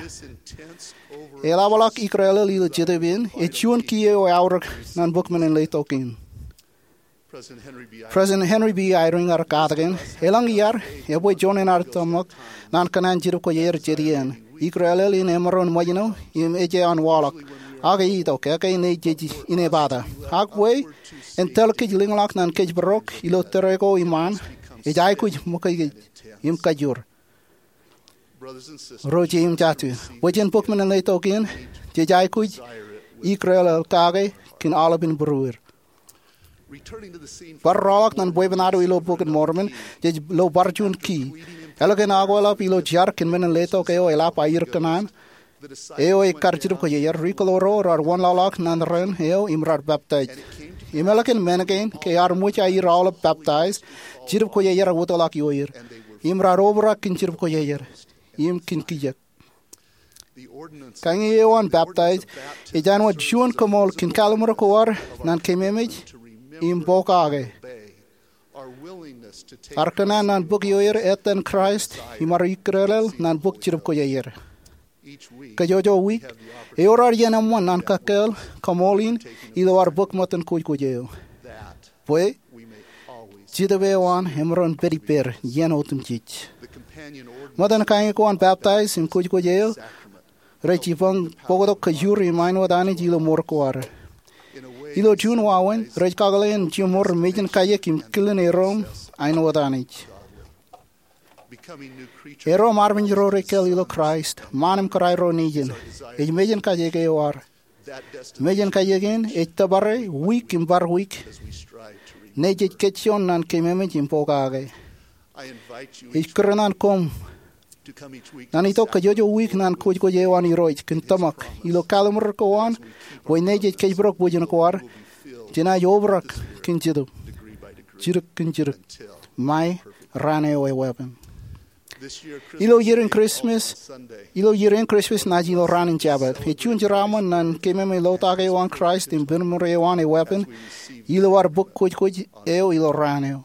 Eḷapḷọk ikōrḷọk ilo Jetōb in, ej juon kiiō eo eaorōk ñan bōk men in letok in. President Henry B. Eyring ear katakin, elōñ iaad, ebwe juon in ad tōmak ñan kōṇaan Jetōb Kwōjarjar jān iien. Ikōrḷọk in emaroñ ṃōjṇọ im ej an waḷọk. Ak e itok, ekkā ṇe jej inepata. Ak bwe en tōl kōj lōñḷọk ñan kōjparok ilo tōre ko iṃaan, ej aikuj ṃōkaj kōj im kajjoor. Ro jeiū im jatū, bwe jen bōk men in letok in, jej aikuj ikōrḷọk kake kōn aolepān būruod. Bar rọọlḷọk ñan bwebwenato ilo Bok in Mormon, jej lo bar juon kiiō. Ālikin akwālep ilo jar kōn men in letok eo eḷap aer kōṇaan, eo ekar Jetōb Kwōjarjar, ri kaḷoor ro raar wanlaḷḷọk ñan ren eo im raar peptaij. Im ālikin men kein, ke ear ṃōj aer aolep peptaij, Jetōb Kwōjarjar ej wōtlọk ioer. Im raar obrak kōn Jetōb Kwōjarjar im kōn kijak. Kañin eo an peptaij ej āinwōt juon koṃṃool kōn kalliṃur ko ad ñan keememej im pokake ad kōṇaan ñan bōk ioer ettōn Kraist im ad ikōrḷọk ñan bōk Jetōb Kwōjarjar. Kajjojo wiik, ewōr ad iien eṃṃan ñan kōkāāl koṃṃool in ilo ad bōk ṃōttan kwōjkwōj eo. Bwe Jetōb eo an emaroñ pād ippāer iien otemjej. Ṃōttan kañin ko an peptaij im kwōjkwōj eo rej jipañ bōktok kajoor im āinwōt Anij ilo mour ko ad. Ilo juon wāween, rej kakōḷḷe in jiṃor mejān kajiek im kilen erom āinwōt Anij. Erom armej ro rekāāl ilo Kraist, ṃaan im kōrā ro nejin, ej mejān kajiek eo ad. Mejān kajiek in ej tōpare wiik im bar wiik. Nejej kōjjoon ñan keememej im pokake. Ij kūr ñan koṃ ñan itok kajjojo wiik ñan kwōjkwōj eo an Irooj kōn tōmak ilo kalliṃur ko an, bwe nejej kōjparok bwijin ko ad jenaaj obrak kōn jetōb, jidik kōn jidik, ṃae raan eo eweeppān. Ilo ier in Christmas, ilo ier in Christmas naaj ilo raan in Jabōt. Ej juon jeraaṃṃan ñan keememej lotak eo an Kraist im binmure eo an eweeppān ilo ad bōk kwōjkwōj eo ilo raan eo.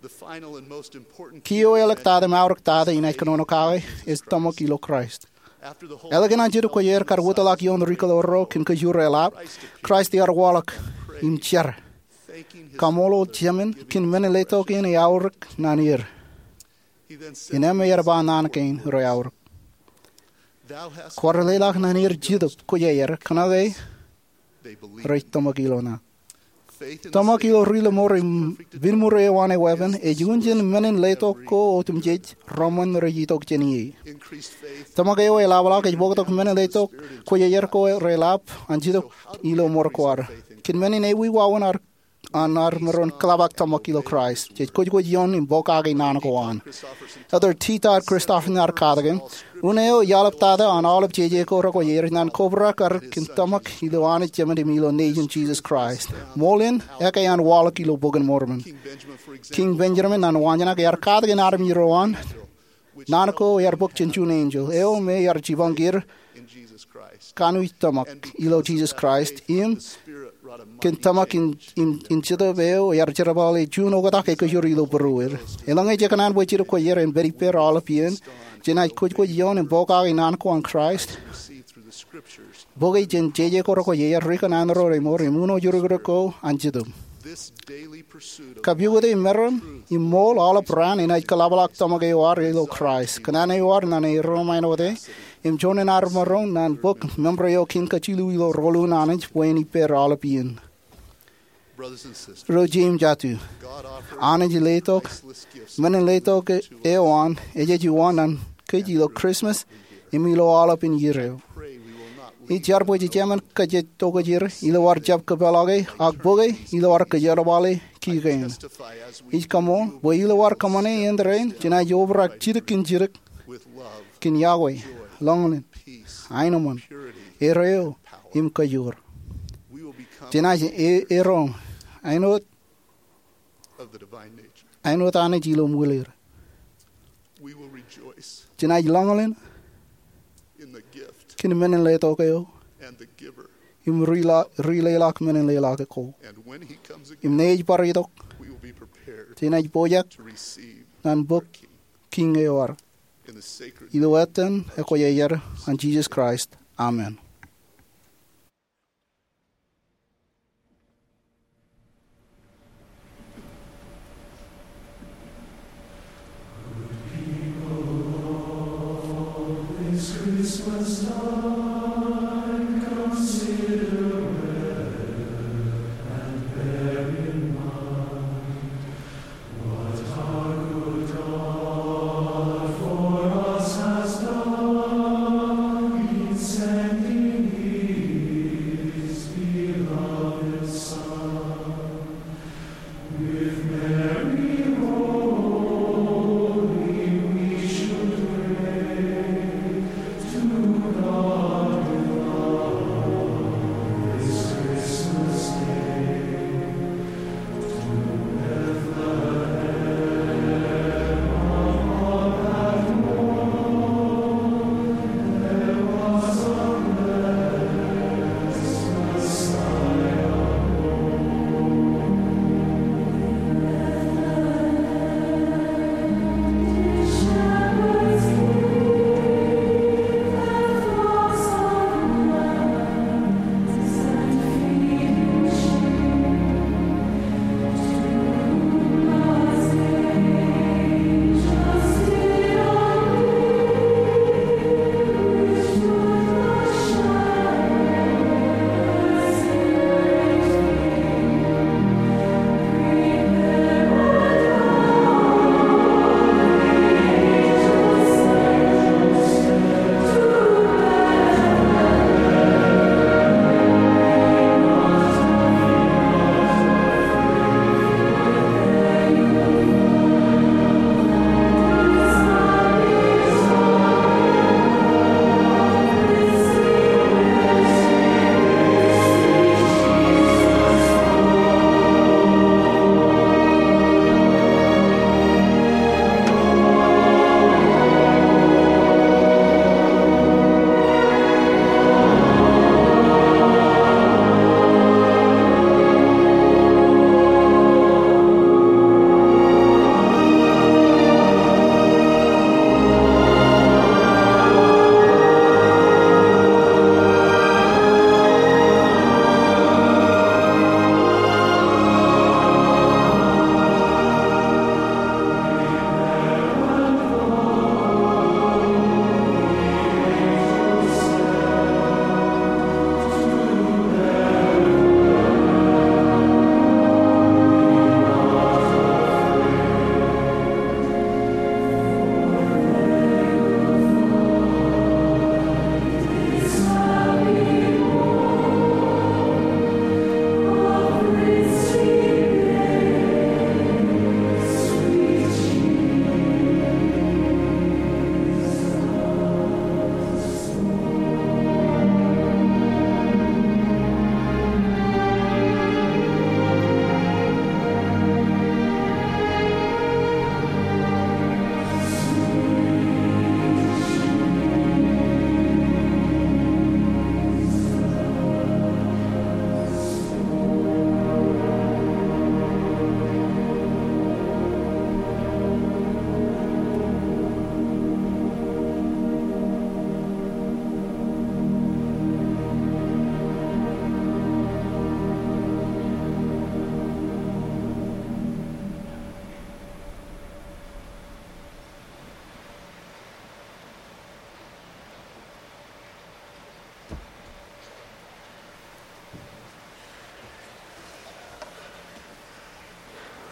Kiiō eo āliktata im aorōktata inaaj kōnono kake ej tōmak ilo Kraist. Ālikin an Jetōb Kwōjarjar kar wōtlọk ioon ri kaḷoor ro kōn kajoor eḷap, Kraist ear waḷọk im jar, kaṃṃoolol Jemān kōn men in letok in eaorōk ñan er. Innām ear ba naan kein rej aorōk. Kwaar leḷọk ñan er Jetōb Kwōjarjar, kōnke rej tōmak ilo ṇa. Tōmak ilo ri lōṃor im binmure eo an eweeppān ej unin men in letok ko otemjej reṃṃan rej itok jān ie. Tōmak eo eḷapḷọk ej bōktok men in letok kwōjarjar ko reḷap an Jetōb ilo mour ko ad. Kōn men in ewi wāween ad an ad maroñ kōḷap ak tōmak ilo Kraist, jej kwōjkwōj ioon im pokake naan ko an. Elder T. Todd Christofferson ear katakin, un eo ej aolep tata an aolep jeje ko rekwōjarjar ñan kobrak ad kōn tōmak ilo Anij Jemān im ilo Nejin Jisōs Kraist. Ṃool in, ekkā an waḷọk ilo Bok in Mormon. Kiiñ Benjamin ñan waanjoṇak ear katakin armej ro an naan ko ear bōk jān juon enjeḷ eo me ear jipañ er kanooj tōmak ilo Jisōs Kraist im kōn tōmak in, in, in Jetōb eo ear jerbale juon oktak ekōjor ilo būrueir. Eḷaññe jej kōṇaan bwe jidik kwe er en pād ippāer aolep iien, jenaaj kwōjkwōj ioon im pokake naan ko an Kraist. Bōke jān jeje ko rekwojarjar ri kōṇaan ro remour im uno jurukduk ko an Jetōb. Kapukot e meram im ṃool aolep raan enaaj kōḷapḷọk tōmak eo ad ilo Kraist, kōṇaan eo ad ñan erom āinwōt e, im juon in ad maroñ ñan bōk member eo kein kajilu ilo Rōḷọk in Anij bwe en ippāer aolep iien. Ro jet im jatū, Anij letok men in letok eo an ej juon ñan kōj ilo Christmas im ilo aolepān iien eo. Ij jar bwe jejāmin kajjitōk kōj er ilo ad jab kōpeḷḷọke, ak bōke ilo ad kōjerbale kiki kein. Ij kaṃool bwe ilo ad kōṃṃane iien rein, jenaaj obrak jidik in jidik kōn yokwe, lọñlọñ, aenōṃṃan, erreo, im kajoor. Jenaaj e-, erom āinwōt, āinwōt Anij ilo ṃwilir. Jenaaj lọñlọñ kōn men in letok eo im ri-, rileḷọk men in leḷọk ko. Im ñe ej bar itok, jenaaj pojak ñan bōk Kiiñ eo ad. Ilo etan ekwōjarjar an Jisōs Kraist, amen.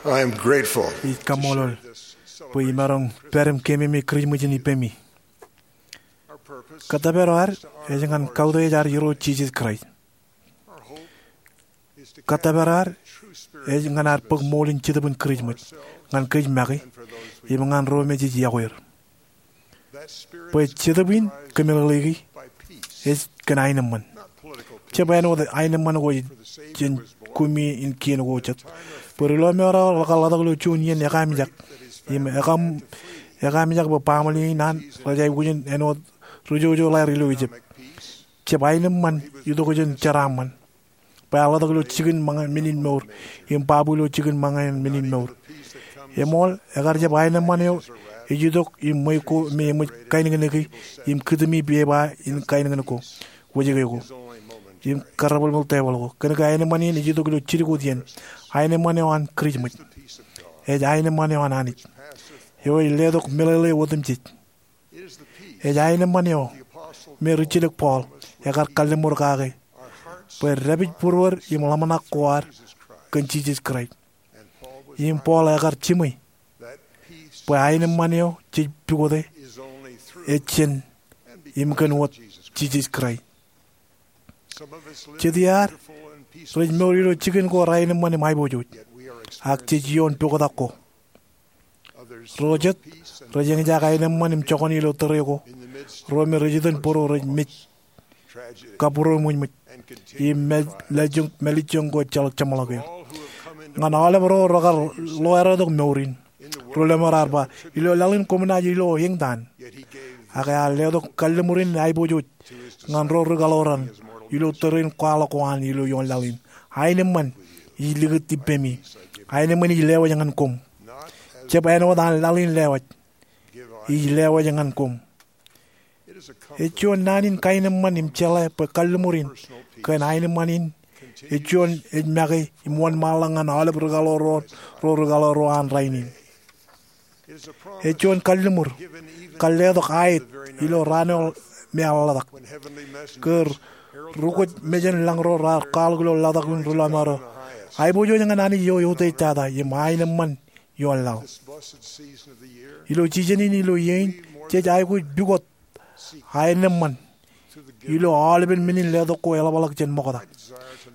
I am grateful. Ij kaṃṃoolol bwe imaroñ pād im keememej Kirijmej in ippemi. Kōttōpar eo ad ej ñan kautiej ad Irooj Jisōs Kraist. Kōttōpar eo ad ej ñan ad bōk ṃool in Jetōb in Kirijmej ñan kōj make im ñan ro me jej yokwe er. Bwe Jetōb in kōmeḷeḷeiki ej kōn aenōṃṃan. Jab āinwōt aenōṃṃan ko jān kumi in kien ko jet. Bwe ri lọmọọr eo rekar ḷotak ilo juon iien ekaamijak im ekaamijak bwe baaṃle in an rej aikuj in āinwōt ri jojo ḷaer ilo Ijip. Jab aenōṃṃan itok jān jeraaṃṃan bwe ear ḷotak ilo jikin ṃōñā men in mour im babu ilo jikin ṃōñā men in mour. Eṃool, ekar jab aenōṃṃan eo ej itok im ṃweiuk ko me eṃōj kainōknōki im kitimi pepa in kainōknōk ko, wōjke ko im karrebalbal tebōḷ ko. Kōnke aenōṃṃan in ej itok ilo jidik wōt iien. Aenōṃṃan eo an Kirijmej ej aenōṃṃan eo an Anij eo ej letok meḷeḷe otemjej. Ej aenōṃṃan eo me rijjilōk Paul ekar kalliṃur kake bwe dāpij būruod im ḷōmṇak ko ad kōn Jisōs Kraist. Im Paul ekar jiṃwe bwe aenōṃṃan eo jej pukote ej jān im kōn wōt Jisōs Kraist. Jet iaad rej mour ilo jikin ko rainōṃṃan im aiboojoj, ak jej ioon poktak ko. Ro jet rej eñjake aenōṃṃan im joñan ilo tōre ko, ro me rej itōn būruō rej mej kabūroṃōj ṃōj im mālejjoñ ko ejjeḷọk jeṃḷọk er. Ñan aolep ro rekar loeretok mour in, ri lọmọọr ar ba, ilo laḷ in koṃ naaj ilo eñtaan. Ak ear letok kalliṃur in aiboojoj ñan ro ri kaḷoran ilo tōre in kwaḷọk ko an ilo ioon laḷ in. Aenōṃṃan ij likūt ippemi. Aenōṃṃan ij lewōj ñan koṃ. Jab āinwōt an laḷ in lewōj, ij lewōj ñan koṃ. Ej juon naan in kaenōṃṃan im jeḷā bwe kalliṃur in kōn aenōṃṃan in ej juon ej make im wōnṃaanḷọk ñan aolep ri kaḷoor ro, ro ri kaḷoor ro an rainin. Ej juon kalliṃur kar letok aet ilo raan eo me ear ḷotak, ke ri kwōj mejān lañ ro raar kwaḷọk ilo ḷotak in ri lọmọọr eo, aiboojoj ñan Anij eo eutiej tata im aenōṃṃan ioon laḷ. Ilo jijen in ilo iien in, jej aikuj pukot aenōṃṃan ilo aolepen men in letok ko eḷapḷọk jān ṃokta.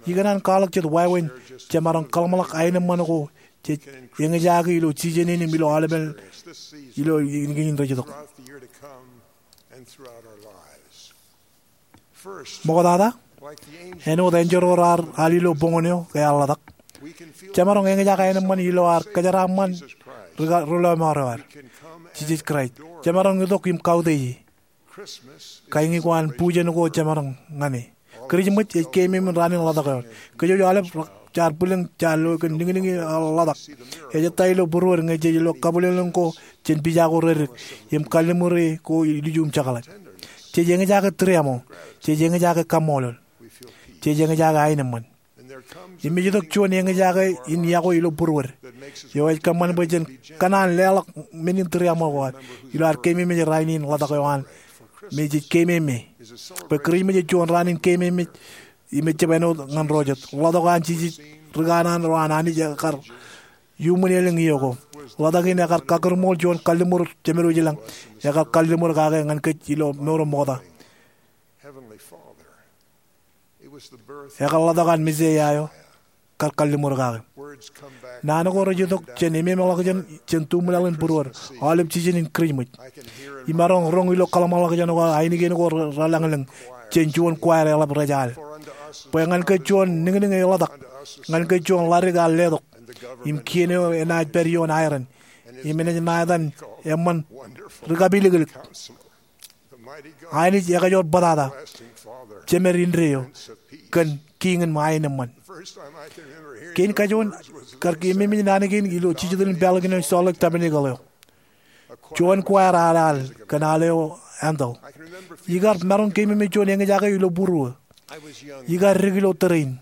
Ikōṇaan kwaḷọk jet wāween jemaroñ kōḷmānḷọk aenōṃṃan ko jej eñjake ilo jijen in im ilo aolepen ilo iien kein rej itok. Ṃoktata, āinwōt enjeḷ ro raar al ilo boñōn eo ke ear ḷotak, jemaroñ eñjake aenōṃṃan ilo ad kōjeraaṃṃan ri lọmọọr eo ad, Jisōs Kraist. Jemaroñ itok im kautiej e. Kañin ko an bujen ko jemaroñ ñan e. Kirijmej ej keememej raan in ḷotak eo. Kōjwōj aolep jaar bwilōñ, jaar lo kōn niñniñ in ḷotak. Ej ettā ilo būruod ñe jej lo kabwilōñlōñ ko jān pija ko reddik im kalliṃur e ko ilju im jekḷaj. Jej eñjake tūriaṃo. Jej eñjake kaṃṃoolol. Jej eñjake aenōṃṃan. Im ej itok juon eñjake in yokwe ilo būruod eo ej kōṃṃan bwe jen kōṇaan leḷọk men in tūriaṃo ko ad ilo ad keememej rainin ḷotak eo an me jej keememej. Bwe Kirijmej ej juon raan in keememej im ejjab āinwōt ñan ro jet. Ḷotak eo an Jisōs, ri kanaan ro an Anij ekar iuṃwin elōñ iiō ko. Ḷotak in ekar kakūrṃool juon kalliṃur jemed wōj ilañ, ekar kalliṃur kake ñan kōj ilo mour eo ṃokta. Ekar ḷotak an Mesaia eo kar kalliṃur kake. Naan ko rej itok jān ememḷọkjeṇ jān tuṃ laḷ in būruod, aolep jijen in Kirijmej. Imaroñ roñ ilo kōḷmānḷọkjeṇ ko, ainikien ko relañlōñ jān juon choir eḷap rej al. Bwe ñan kōj juon niñniñ eḷotak, ñan kōj juon ḷadik ear letok, im kien eo enaaj pād ioon aeran, im enaaj ṇa etan eṃṃan ri kapilōklōk. Anij ekajoor bōtata, Jemed indeeo, kōn kiiñ in aenōṃṃan. Kein kajoor kar keememej naan kein ilo jijet in pālkin eo Salt Lake Tabernacle eo. Juon choir ear al kōn al eo Handel. Ikar maroñ keememej juon eñjake ilo būruō. Ikar dik ilo tōre in.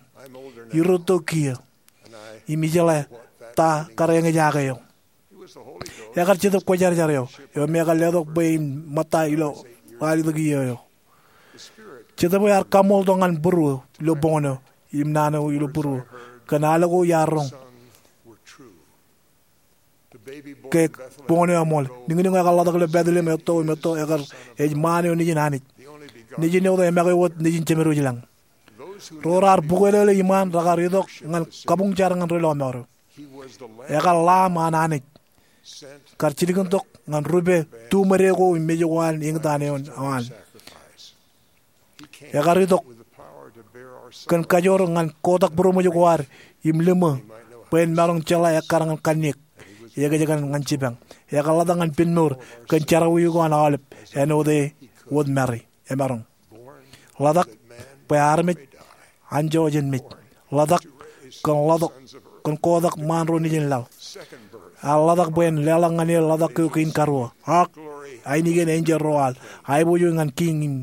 Irrūtto kiiō. Im ijeḷā ta kar eñjake eo. Ekar Jetōb Kwōjarjar eo, eo me ekar letok bwe in ṃōtta ilo ralitōk iiō eo. Jetōb eo ear kaṃṃooltok ñan būruō ilo boñōn eo, im naan eo ilo būruō, kōn al ko iar roñ. ke boñōn eo eṃool. Niñniñ ekar ḷotak ilo Bethlehem etto im etto ekar ej ṃaan eo nejin Anij. Nejin eo emake wōt nejin Jemedwōj ilañ. Ro raar bōkwelōkwelōk iṃaan rekar itok ñan kabuñ jar ñan ri lọmọọr eo. Ekar Lamb an Anij kar jilkintok ñan rupe tuṃwōde ko im mej ko an eñtaan eo an. Ekar itok kōn kajoor ñan kotak būroṃōj ko ad im liṃō bwe en maroñ jeḷā ekkar ñan kanniōk. Ekōjkan ñan jipañ. Ekar ḷotak ñan penmour kōn jerọwiwi ko an aolep āinwōt e wōt Mari emaroñ. Ḷotak bwe armej anjọ jān mej. Ḷotak kōn ḷotak kōn kotak ṃaan ro nejin laḷ. Ear ḷotak bwe en leḷọk ñan e ḷotak ko kein karuo. Ak ainikien enjeḷ ro al aiboojoj ñan kiiñ im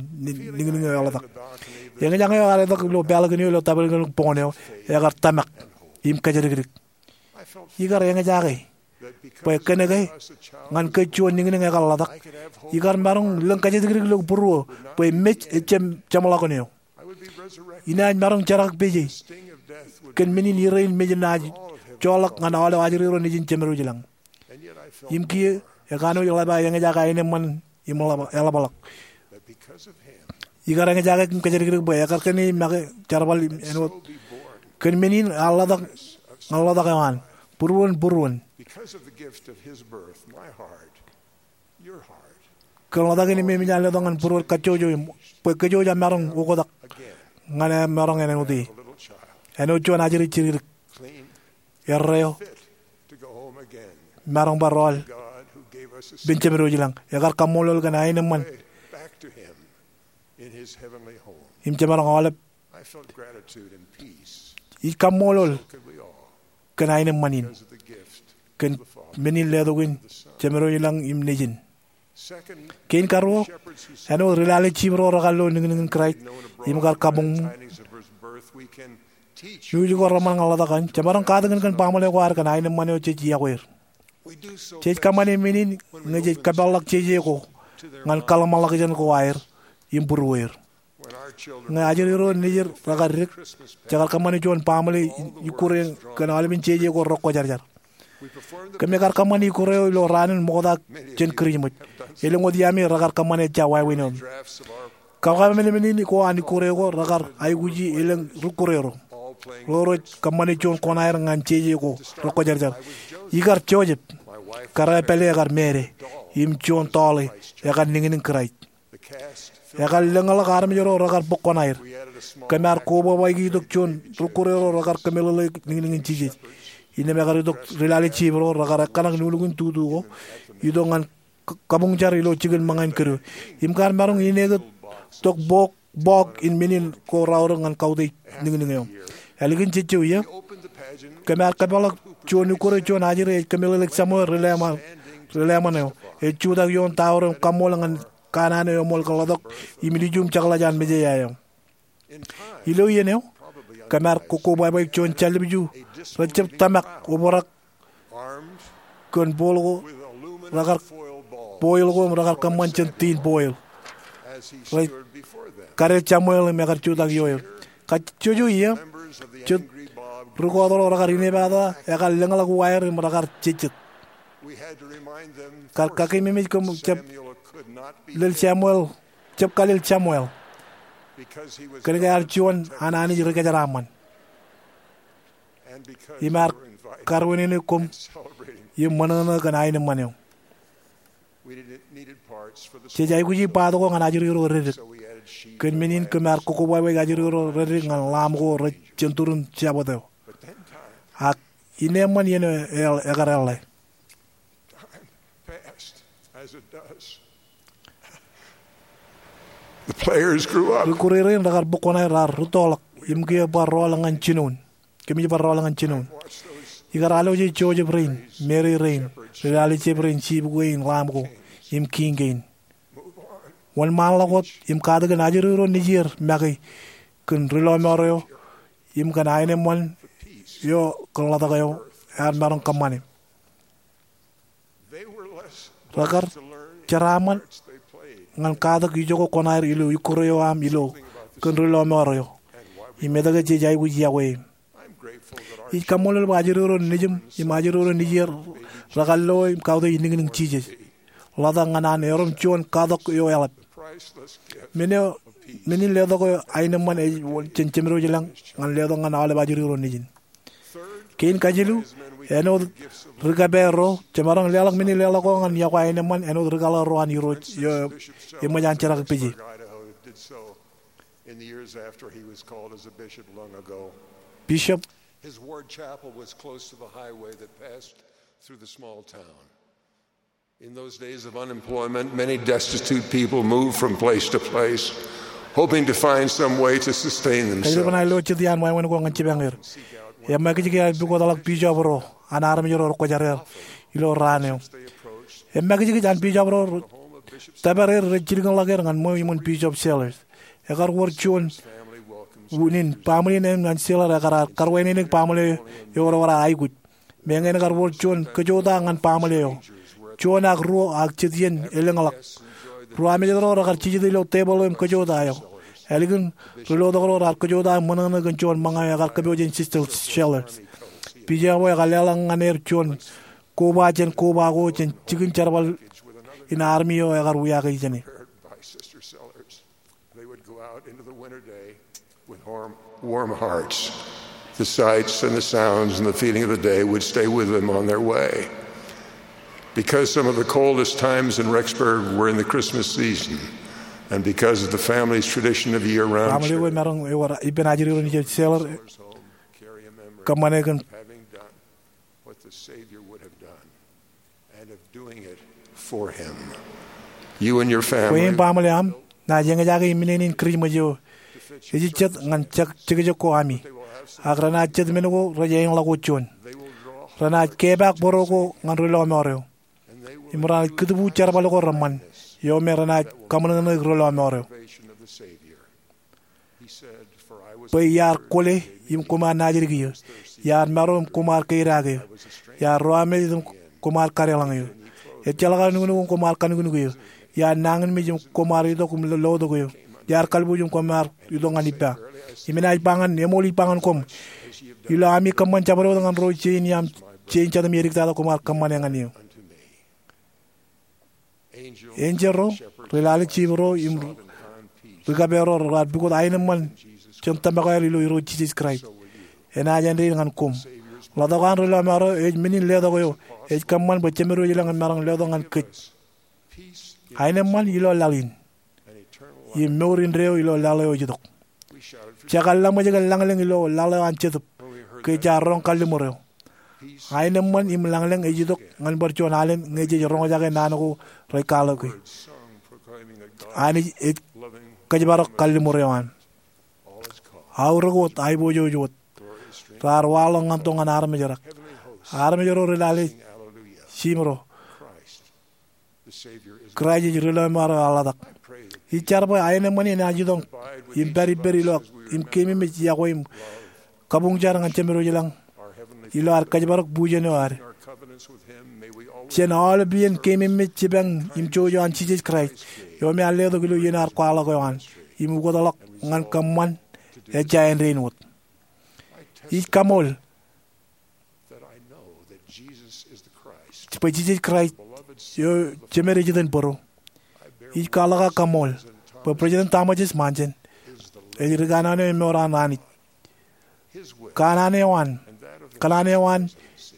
niñniñ eo eḷotak. Eñjake eo ear itok ilo pālkin eo ilo tapelkōn boñōn eo ekar tōmak im kōjatdikdik. Ikar eñjake bwe kōnke ñan kōj juon niñniñ ekar ḷotak, ikar maroñ lōñ kōjatdikdik ilo būruō bwe mej ejjab jeṃḷọkin eo. Inaaj maroñ jerọwiwi kōn men in irein mej enaaj joḷọk ñan aolep ajri ro nejin Jemedwōj ilañ. Im kiiō ekanooj ḷap aō eñjake aenōṃṃan im eḷap- eḷapḷọk. Ikar eñjake im kōjatdikdik bwe ekkar kōn e make jerbal im āinwōt kōn men in ear ḷotak ñan ḷotak eo an būruon būruon. Because of the gift of his birth, my heart, your heart, kōn ḷotak in im emōj an letok ñan būruon kajjojo im bwe kōjwōj jab maroñ oktak ñan e maroñ āinwōt e. Āinwōt juon ajri jidikdik, erreo, maroñ bar rọọl ippān Jemedwōj ilañ. Ekar kaṃṃoolol kōn aenōṃṃan im jemaroñ aolep. Ij kaṃṃoolol kōn aenōṃṃan in kōn men in letok in Jemedwōj ilañ im Nejin. Kein karuo, āinwōt ri lale jip ro rekar lo niñniñ in Kraist im kar kabuñ, iuj ko reṃṃan ñan ḷotak in, jemaroñ katakin kōn baaṃle ko ad kōn aenōṃṃan eo jej iọkwe er. Jej kōṃṃane men in ñe jej kōpeḷḷọk jeje ko ñan kōḷmānḷọkjeṇ ko aer im būrueir. Ñe ajri ro nejid rekar dik, jekar kōṃṃane juon baaṃle ikkure kōn aolepen jeje ko rekwōjarjar. Kōmij kar kōṃṃane ikkure eo ilo raan in ṃokta jān Kirijmej. Elōñ wōt iaami rekar kōṃṃane ejja wāween eo. Kōmij kar kōṃṃane men in ko an ikkure ko rekar aikuji elōñ rikkure ro. Ro rej kōṃṃane juon koṇaer ñan jeje ko rekwōjarjar. Ikar Joseph, kōrā pālle ekar māāde, im juon tọọle ekar niñniñ Kraist. Ekar lōñḷọk armej ro rekar bōk koṇaer. Kōm ar kobwābwāiki itok juon rikkure ro rekar kōmeḷeḷeik niñniñ in Jisōs. Innām ekar itok ri lale jip ro rekar ekkaṇak nuknuk in tutu ko itok ñan k- kabuñjar ilo jikin ṃōñā in kōdō. Im kar maroñ inekūt tok bọọk, bọọk in men in ko raorōk ñan kautiej niñniñ eo. Ālikin jejjo iiō, kōm ar kōpeḷḷọk juon ikkure juon ajri ej kōmeḷeḷeik Samuel ri Leman, ri Leman eo. Ej jutak ioon tower im kaṃṃool ñan kanaan eo eṃool kōḷḷọk im ilju im jekḷaj an Messiah eo. Ilo iien eo, kōm ar kokkobwābweik juon jallib ju rejjab tōmak obrak kōn bowl ko rekar boil ko im rekar kōṃṃan jān tin boil. Rej kade Samuel im ekar jutak ioer. Kajjojo iiō, jet ri kọọt ro rekar inepata ekar lōñḷọk uwaer im rekar jejjet. Kar kakememej kōm jab lel Samuel, jab kalel Samuel, kōnke ear juon an Anij ri kōjeraaṃṃan. Im ear karuwinene kōm im ṃōṇōṇō kōn aenōṃṃan eo. Jej aikuji part ko ñan ajri ro reddik. Kōn men in kōm ar kokkobwābweik ajri ro reddik ñan lamb ko rej jentūrin Sabbath eo. Ak innem ṃōn iien eo e- ekar eḷḷe. Rikkure rein rekar bōk koṇaer raar rūttoḷọk im kiiō bar rọọl ñan jinoin. Kōmij bar rọọl ñan jinoin. Ikar alwōje Joseph rein, Mary rein, ri lale jep rein, jip kein, lamb ko, im kiiñ kein. Wōnṃaanḷọk wōt im katakin ajri ro nejier make kōn ri lọmọọr eo im kōn aenōṃṃan eo kōn ḷotak eo ear maroñ kōṃṃane. Rekar jeraaṃṃan ñan katak ijoko koṇaer ilo ikkure eo aṃ ilo kōn ri lọmọọr eo im etke jej aikuj iọkwe e. Ij kaṃṃoolol bwe ajri ro nejiṃ im ajri ro nejier rekar lo im kautiej niñniñ Jisōs, ḷotak ñan an erom juon katak eo eḷap. Men eo, men in letok eo aenōṃṃan ej jān Jemedwōj ilañ ñan letok ñan aolep ajri ro nejin. Kein kajilu, āinwōt ri-kōpeer ro, jemaroñ leḷọk men in leḷọk eo ñan yokwe aenōṃṃan āinwōt rikaḷoor ro an Irooj eo eṃōj an jerak peje. In the years after he was called as a bishop long ago, Bishop, his ward chapel was close to the highway that passed through the small town. In those days of unemployment, many destitute people moved from place to place, hoping to find some way to sustain themselves. Kajjitōk bwe ilo jet iaan wāween ko ñan jipañ er, eṃṃakijiki aer pukotḷọk bishop ro an armej ro rekwōjarjar ilo raan eo. Eṃṃakijiki an bishop ro tōpar er rej jilkinḷọk er ñan ṃweo iṃōn Bishop Sellers. Ekar wōr juon unin baaṃle in ñan Sellers ekar ar karwānānāik baaṃle eo ewōr aikuj. Meñe in ekar wōr juon kōjota ñan baaṃle eo. Juon ak ruo ak jet iien elōñḷọk. Ruo amejān ro rekar jijet ilo tebōḷ eo im kōjota eo. Ālikin ri-lotok ro raar kōjota im ṃōṇōṇō kōn juon ṃōñā eo ekar kōpooje jān Sister Sellers. Bishop eo ekar leḷọk ñan er juon koba jān koba ko jān jikin jerbal in army eo ekar wiaak e jāne. They would go out into the winter day with warm, warm hearts. The sights and the sounds and the feeling of the day would stay with them on their way. Because some of the coldest times in Rexburg were in the Christmas season, and because of the family's tradition of year-round, baaṃle eo emaroñ ewōr ippān ajri ro nejin Sellers kōṃṃane kōn having done what the Savior would have done, and of doing it for him. You and your family. Kwe im baaṃle aṃ, naaj eñjake im ineen in Kirijmej eo ej jet ñan jekjek ko ami. Ak renaaj jet men ko rej āinḷọk wōt juon. Renaaj kepaak bōro ko ñan ri-lọmọọr eo. Im renaaj kūtbu jerbal ko reṃṃan, eo me renaaj kaṃōṇōṇōik ri-lọmọọr eo. Bwe iar kwōle im koṃ ar naajdik eō, iar maro im koṃ ar keidake eō, iar ro amejed im koṃ ar kadeḷọñ eō. Ejjeḷọk aō nuknuk im koṃ ar kanuknuk eō, iar nañinmej im koṃ ar itok im lotok eō, iar kalbuuj im koṃ ar itok ñan ippa. Im enaaj ba ñan, eṃool ij ba ñan koṃ, ilo ami kōṃṃan jabdewōt ñan ro jein iaam, jein jatūṃ edik tata koṃ ar kōṃṃane ñan eō. Enjeḷ ro, ri-lale jip ro im ri-kōpeer ro raar pukot aenōṃṃan jān tōmak eo aer ilo Irooj Jisōs Kraist. Enaaj āindein ñan koṃ. Ḷotak eo an ri-lọmọọr eo ej men in letok eo ej kōṃṃan bwe Jemedwōj ilañ en maroñ letok ñan kōj. Aenōṃṃan ilo laḷ in im mour indeeo ilo laḷ eo ej itok. Jekar laṃōj kōn lañlōñ ilo laḷ eo an Jetōb ke jaar roñ kalliṃur eo. Aenōṃṃan im lañlōñ ej itok ñan bar juon alen ñe jej roñjake naan ko rej kwaḷọke. Anij ej kōjparok kalliṃur eo an. Aorōk wōt, aiboojoj wōt. Raar waḷọk ñan tok ñan armej rak. Armej ro ri-lale jip ro. Kraist ej ri-lọmọọr eo eḷḷatak. Ij jar bwe aenōṃṃan in enaaj itok im pād ippād ilo, im keememej iọkwe im kabuñjar ñan Jemedwōj ilañ ilo ad kōjparok bujen eo ad. Jān aolep iien keememej jipañ im jouj eo an Jisōs Kraist, eo me ear letok ilo iien ear kwaḷọk eo an im ukōtḷọk ñan kōṃṃan, ejja āindein wōt. Ij kaṃool bwe Jisōs Kraist eo Jemed ej iten bōro. Ij kwaḷọk ak kaṃool bwe President Thomas S. Monson ej ri kanaan eo emour an Anij. Kanaan eo an, kanaan eo an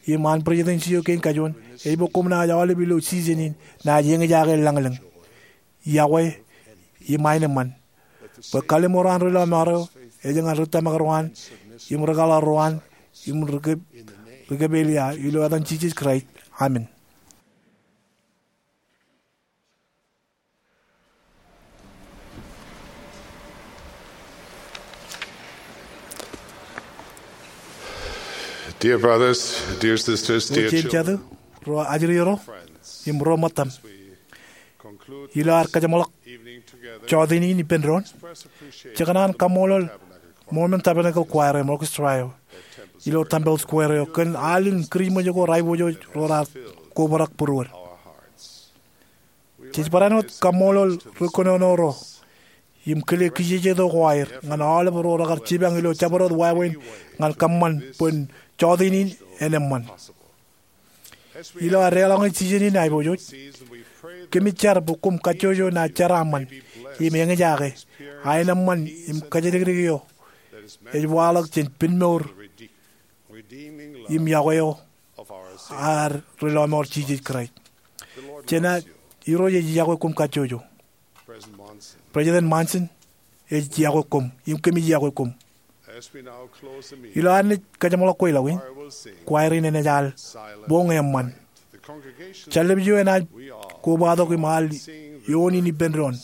im an Presidency eo kein kajuon ej bwe koṃ naaj aolep ilo season in naaj eñjake lañlōñ, iọkwe im aenōṃṃan. Bwe kalliṃur an ri-lọmọọr eo ej ñan ri tōmak ro an, im ri kaḷoor ro an, im ri kōp, ri kōpelia, ilo etan Jisōs Kraist. Amen. Dear brothers, dear sisters, dear children, ro jatū, ro ajri ro, im ro ṃōttaṃ. Ilo ad kajeṃḷọk jota in ippān doon, jekōṇaan kaṃṃoolol Mormon Tabernacle Choir im orchestra eo ilo Temple Square eo kōn al in Kirijmej ko rej aiboojoj ro raar kobrak būruod. Jej barāinwōt kaṃṃoolol ri kōnono ro im kile kijejeto ko aer ñan aolep ro rekar jipañ ilo jabdewōt wāween ñan kōṃṃan bwe en jọteen in en eṃṃan. Ilo ad deḷọñe season in aiboojoj, kōmij jar bwe koṃ kajjojo naaj jeraaṃṃan im eñjake, a en eṃṃan im kōjatdikdik eo ej waḷọk jān pinmour im yokwe eo ad Ri-lọmọọr Jisōs Kraist. Jenaaj, Irooj ej yokwe koṃ kajjojo. President Monson ej yokwe koṃ im kōmij yokwe koṃ. Ilo ad naaj kajeṃḷọk kweilọk in, choir in enaaj al Boñ Eṃṃan. Jar ḷọk eo enaaj kobatok im al eoon in ippān doon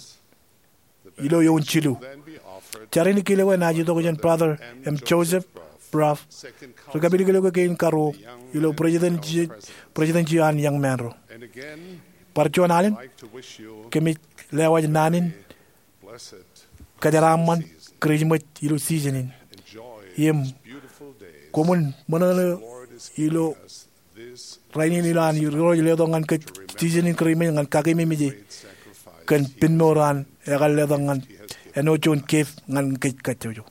ilo eoon jilu. Jar in kile enaaj itok jān Brother M. Joseph Brough, ri kapilōklōk kein karuo ilo presidency, presidency an Young Men ro. Bar juon alen, kōmij lewōj naan in kōjeraaṃṃan Kūrijṃōj ilo season in. Im koṃwin ṃōṇōṇō ilo rainin ilo an Irooj letok ñan kōj season in Kūrijṃōj ñan kakeememej e kōn pinmour an ekar letok ñan āinwōt juon gift ñan kōj kajjojo.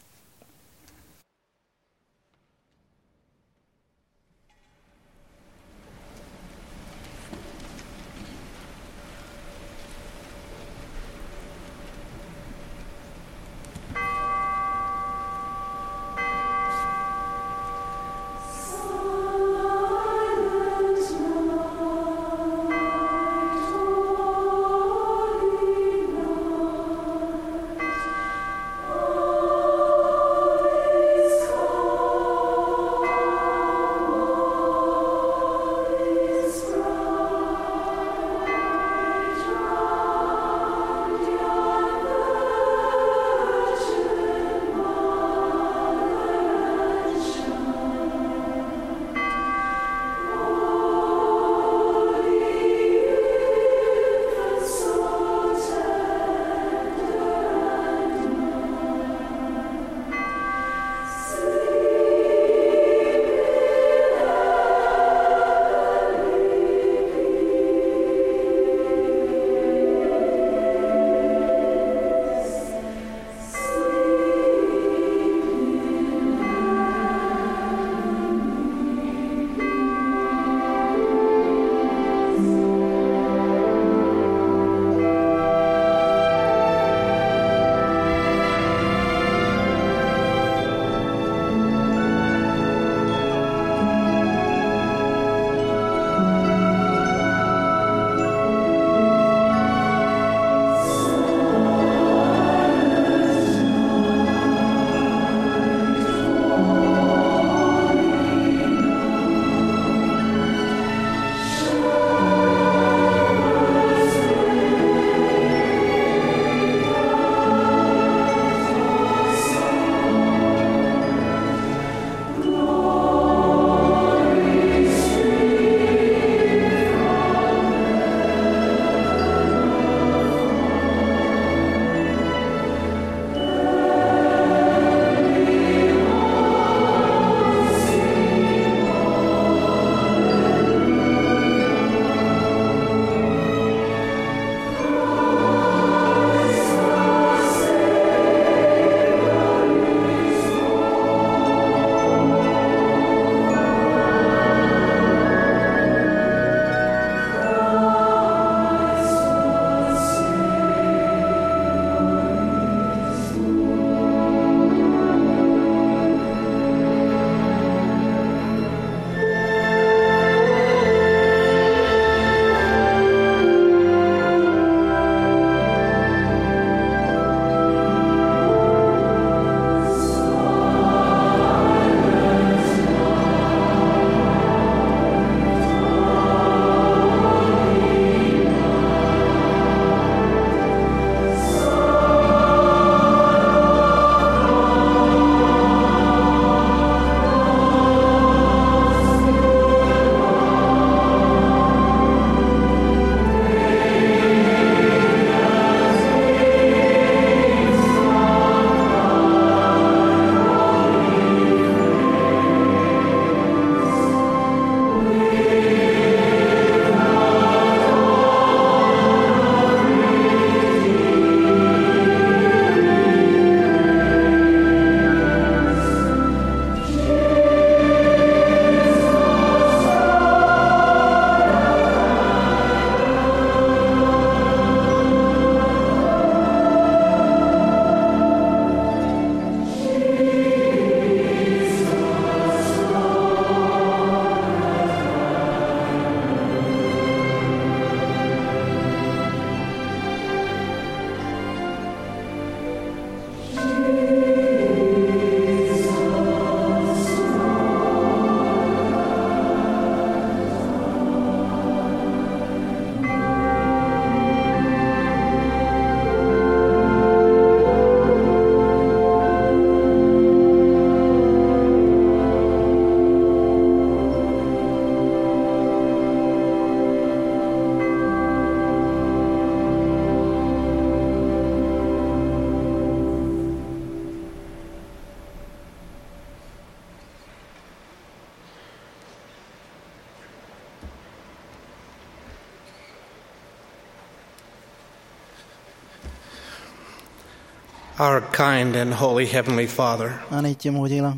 Our kind and holy Heavenly Father, Anij Jemem wōj ilañ,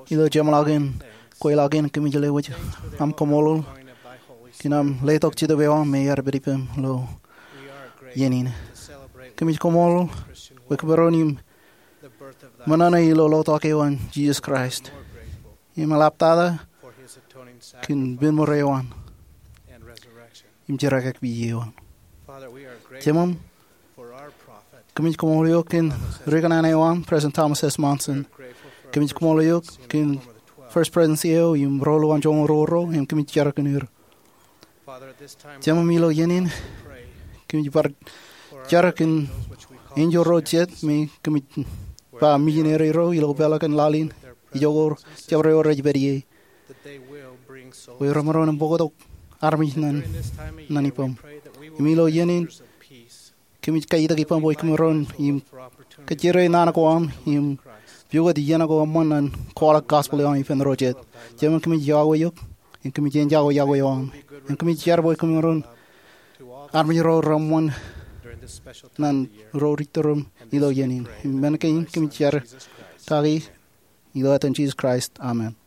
ilo jeṃḷọkin kweilọk in kōmij lewōj aṃ kaṃṃoolol kōn aṃ letok Jetōb eo aṃ me ear pād ippem ilo iien in. Kōmij kaṃṃoolol bwe kōmaroñ im ṃōṇōṇō ilo lotok eo an Jisōs Kraist im eḷaptata kōn pen ṃōrā eo an im jerkakpeje eo an. Jemem, kōmij kaṃṃoolol eok kōn ri kōṇaan eo aṃ, President Thomas S. Monson. Kōmij kaṃṃoolol eok kōn First Presidency eo im ro ḷọk an joñoul ruo ro, im kōmij jar kōn er. Jemem, ilo iien in kōmij bar jar kōn enjeḷ ro jet me kōmij ba misineri ro ilo peḷaakin laḷ in, ijoko jabdewōt rej pād ie, bwe remaroñ im bōktok armej ñan ippem. Im ilo iien in kōmij kaitik ippem bwe kōmaroñ im kajjirere naan ko aṃ im pukot iien ko eṃṃan ñan kwaḷọk gospel eo aṃ ippān ro jet. Jemem, kōmij iọkwe eok im kōmij enjake iọkwe eo aṃ. Im kōmij jar bwe kōmaroñ armej ro reṃṃan ñan ro rej turuṃ ilo iien in. Im men kein kōmij jar kaki ilo etan Jisōs Kraist, amen.